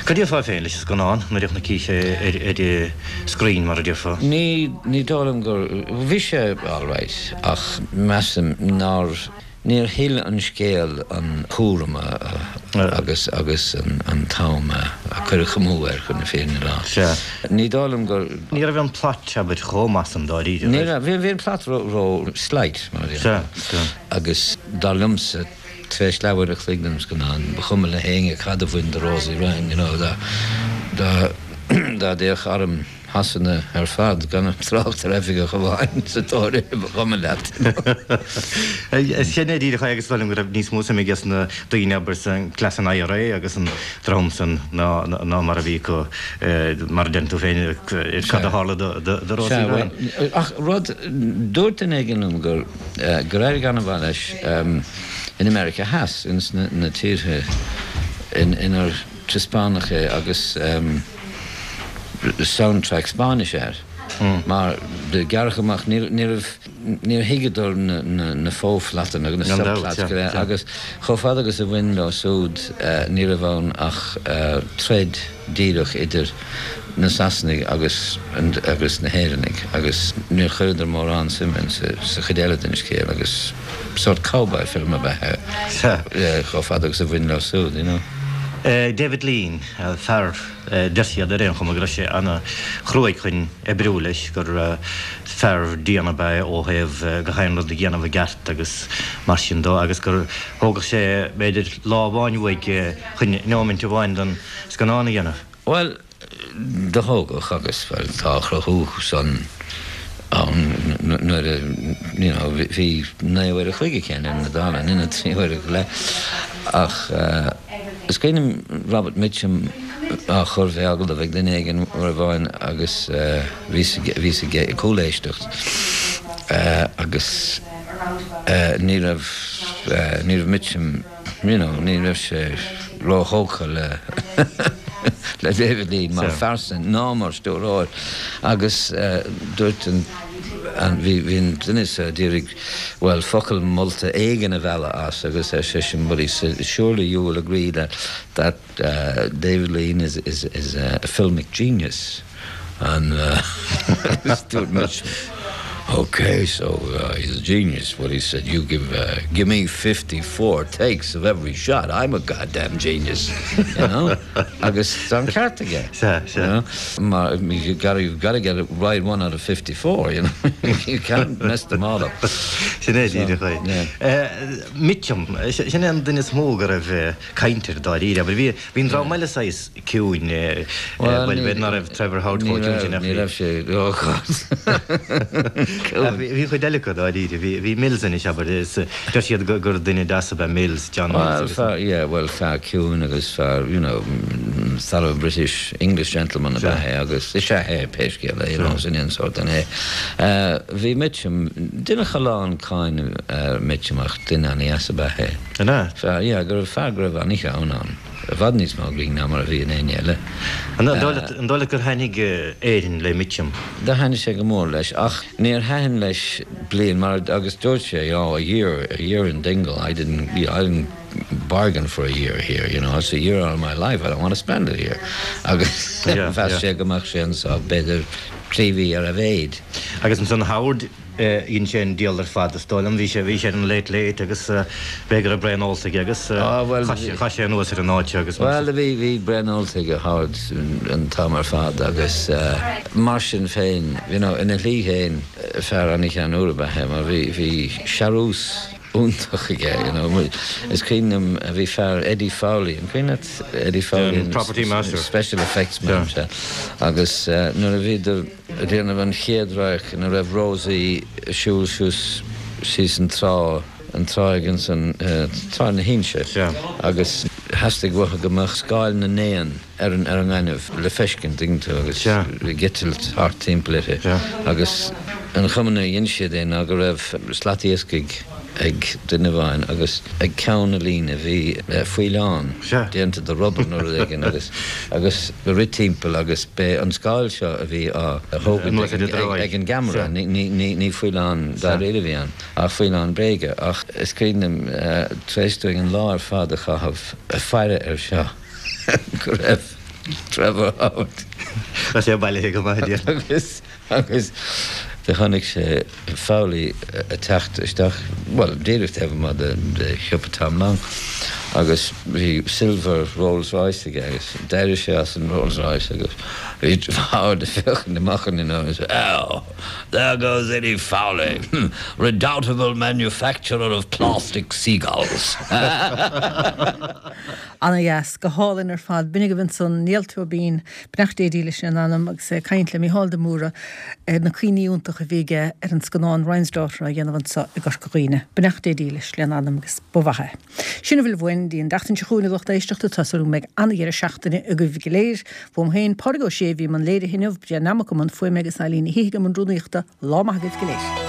Cad déarfá féin leis an scannán nuair a chonaicís é ar ar screen mar a déarfá? Ní ní dóigh liom gur bhí sé alright ach measaim nár Níor thuill an scéal an cúram agus agus an t-am a cuireadh amú air, chun na fírinne a rá. Sea. Ní dóigh liom gur. Ní raibh an plot, abair, chomh maith san dáiríre, Ní raibh. Bhí an plot ró-slight, mar a Sea, déarfá. sea. Agus dar liomsa, tar éis leathuair a chloig den scannán, ba chuma le héinne cad a bhain do Rosie Ryan, you know, dá dá dá dtéadh arm Shasana ar fad, gan trácht ar oifigeach amháin sa tóir air, ba chuma leat. Sin é díreach é agus is dóigh liom go raibh níos mó suim aige sna daoine, abair, sa cleas an IRA agus an dream san ná ná mar a bhí acu, mar a deireann tú féin, cad a tharla do Rosie Sea, Ryan. bhuel, ach rud, dúirt duine éigin liom gur gur éirigh an-mhaith leis in America Theas, ins na tíortha inar taispeánadh é agus soundtrack Spáinnis air mar do gearradh amach, ní raibh, níor thuigeadar na fo-phlotanna agus na subplots go léir agus chomh fada agus a bhain leo siúd ní raibh ann ach troid díreach idir na Sasanaigh agus agus na hÉireannaigh agus níor chuireadar mórán suime sa chuid eile den scéal agus sórt cowboy film ab ea é chomh fada agus a bhain leo siúd, you know. David Lean, fear, deir siad ar aon chuma go raibh sé ana-chruaidh chun oibriú leis, gur fear dian ab ea é ó thaobh gach aon rud a dhéanamh i gceart agus mar sin dó agus gur thógadh sé b'fhéidir lá amháin uaidh chun neoimint amháin den scannán a dhéanamh. Bhuel, do thógadh agus, bhuel, tá a chruthú san ann nuair a, you know, bhí naoi uair a chloig aici i ndeireadh na dála, in ionad trí huaire go leith. Ach is cuimhin liom Robert Mitchum á chur fé agallamh ag duine éigin uair amháin agus bhíos, bhíos ag cúléisteacht agus ní raibh, ní raibh Mitchum, you know, ní raibh sé róthógtha le le David Lean mar phearsa ná mar stiúrthóir agus dúirt an an bhí bhí an duine seo ag iarraidh bhuel focal molta éigin a mhealladh as agus ar seisean but he said surely you will agree that that uh, David Lean is is is a filmic genius and uh, dúirt Mitchum Okay, so uh, he's a genius. What he said, you give uh, give me fifty-four takes of every shot. I'm a goddamn genius, you know. Agus tá an ceart aige. Sea, sea. You know? Mar, you gotta, you've gotta get it right one out of fifty-four, you know. You can't mess them all up. Sin é díreach é. Yeah. Mitchum, sin é an duine is mó go raibh caint air dáiríre, abair bhí bhí an dream eile saghas ciúin, Well, bhuel ní- b'fhéidir ná raibh Trevor Howard Ní chomh ciúin raibh sin ach ní bhí raibh sé, oh God. Bhí bhí chuid eile acu dáiríre, bhí bhí Mills anois abair, is deir siad gur gur duine deas ab ea Mills, John Mills Well, agus fear, yeah, well, fear ciúin agus fear, you know, mm, thorough British English gentleman ab ea é agus is ea é pé scéal é, you know, sin an sórt duine é. Uh, bhí Mitchum, deineadh a lán cáineadh ar Mitchum ach duine an-deas ab ea é. An ea? Fear, yeah, go raibh fear go raibh an-ghrinn ann. I bhfad níos mó grinn ná mar a bhí in éinne eile. An dóigh leat an dóigh leat gur thaitnigh Éirinn le Mitchum? Do thaitnigh sé go mór leis, ach níor thaitin leis bliain mar agus dúirt sé, oh, a year, a year in Dingle, I didn't, you know, I didn't bargain for a year here, you know, it's a year out of my life, I don't want to spend it here. Agus Yeah, mheas yeah. sé go mbeadh sé anseo b'fhéidir trí mhí ar a mhéad. Agus ansan Howard dhein sé an diabhal ar fad is dóigh liom, bhí sé bhí sé ar an Late Late agus b'fhéidir go raibh braon ólta aige agus Ah, well, chaith sé chaith sé anuas ar an áit agus mar Well, bhí bhí braon ólta ag Howard an t-am ar fad agus mar sin féin, you know, ina shlí féin fear an-cheanúil ab ea é mar bhí bhí searús iontach aige, you know. Is cuimhin liom bhí fear Eddie Fowley, an cuimhin leat Eddie Fowley? An property master. Special effects man, Yeah. sea. Agus nuair a bhíodar ag déanamh an chéad radharc ina raibh Rosie ag siúl suas síos an trá, an tráigh ansan, Trá na hInse. Sea. Agus theastaigh uathu go mbeadh scáil na n-éan ar an ar an ngaineamh le feiscint, tuigeann tú, agus Sea. ag eitilt thart timpeall uirthi. Sea. Agus an chuma a dhein siad é ná go raibh slat iascaigh ag duine amháin agus ag ceann na líne bhí faoileán Sea. déanta de rubber nó rud éigin agus agus rith timpeall agus b'é an scáil seo a bhí á thógaint Anuas ar ag an dtráigh. ag an gceamara Sea. ní ní ní ní faoileán dáiríre a bhí ann ach faoileán bréige ach is cuimhin liom tar éis dúinn an lá ar fad a chaitheamh ag faire air seo go raibh Trevor Howard Tá sé bailithe go maith díreach. agus agus do chonaic sé Fowley ag teacht isteach well díreach taobh amuigh de de shiopa Tom Long agus bhí silver Rolls Royce aige agus d'éirigh sé as an Rolls Royce agus bhí Howard ag féachaint amach an fhuinneog agus oh there goes Eddie Fowley redoubtable manufacturer of plastic seagulls. Ana-dheas go hálainn ar fad b'in agaibh ansan Niall Tóibín beannacht Dé dílis lena anam agus é ag caint le Mícheál de Mórdha ar na cuimhní iontacha a bhí aige ar an scannán Ryan's Daughter á dhéanamh anseo i gCorca Dhuibhne. Beannacht Dé dílis lena anam agus ba mhaith é. Sin a bhfuil uainn don tseachtain seo chugainn a lucht éisteachta tá súil go mbeidh an-dheireadh seachtaine agaibh go léir. Uaim féin Pádraig Ó Sé a bhí i mbun léirithe inniu, Brian Nammock i mbun fuaime agus Eileen Ní hIgim i mbun rúnaíochta lá maith agaibh go léir.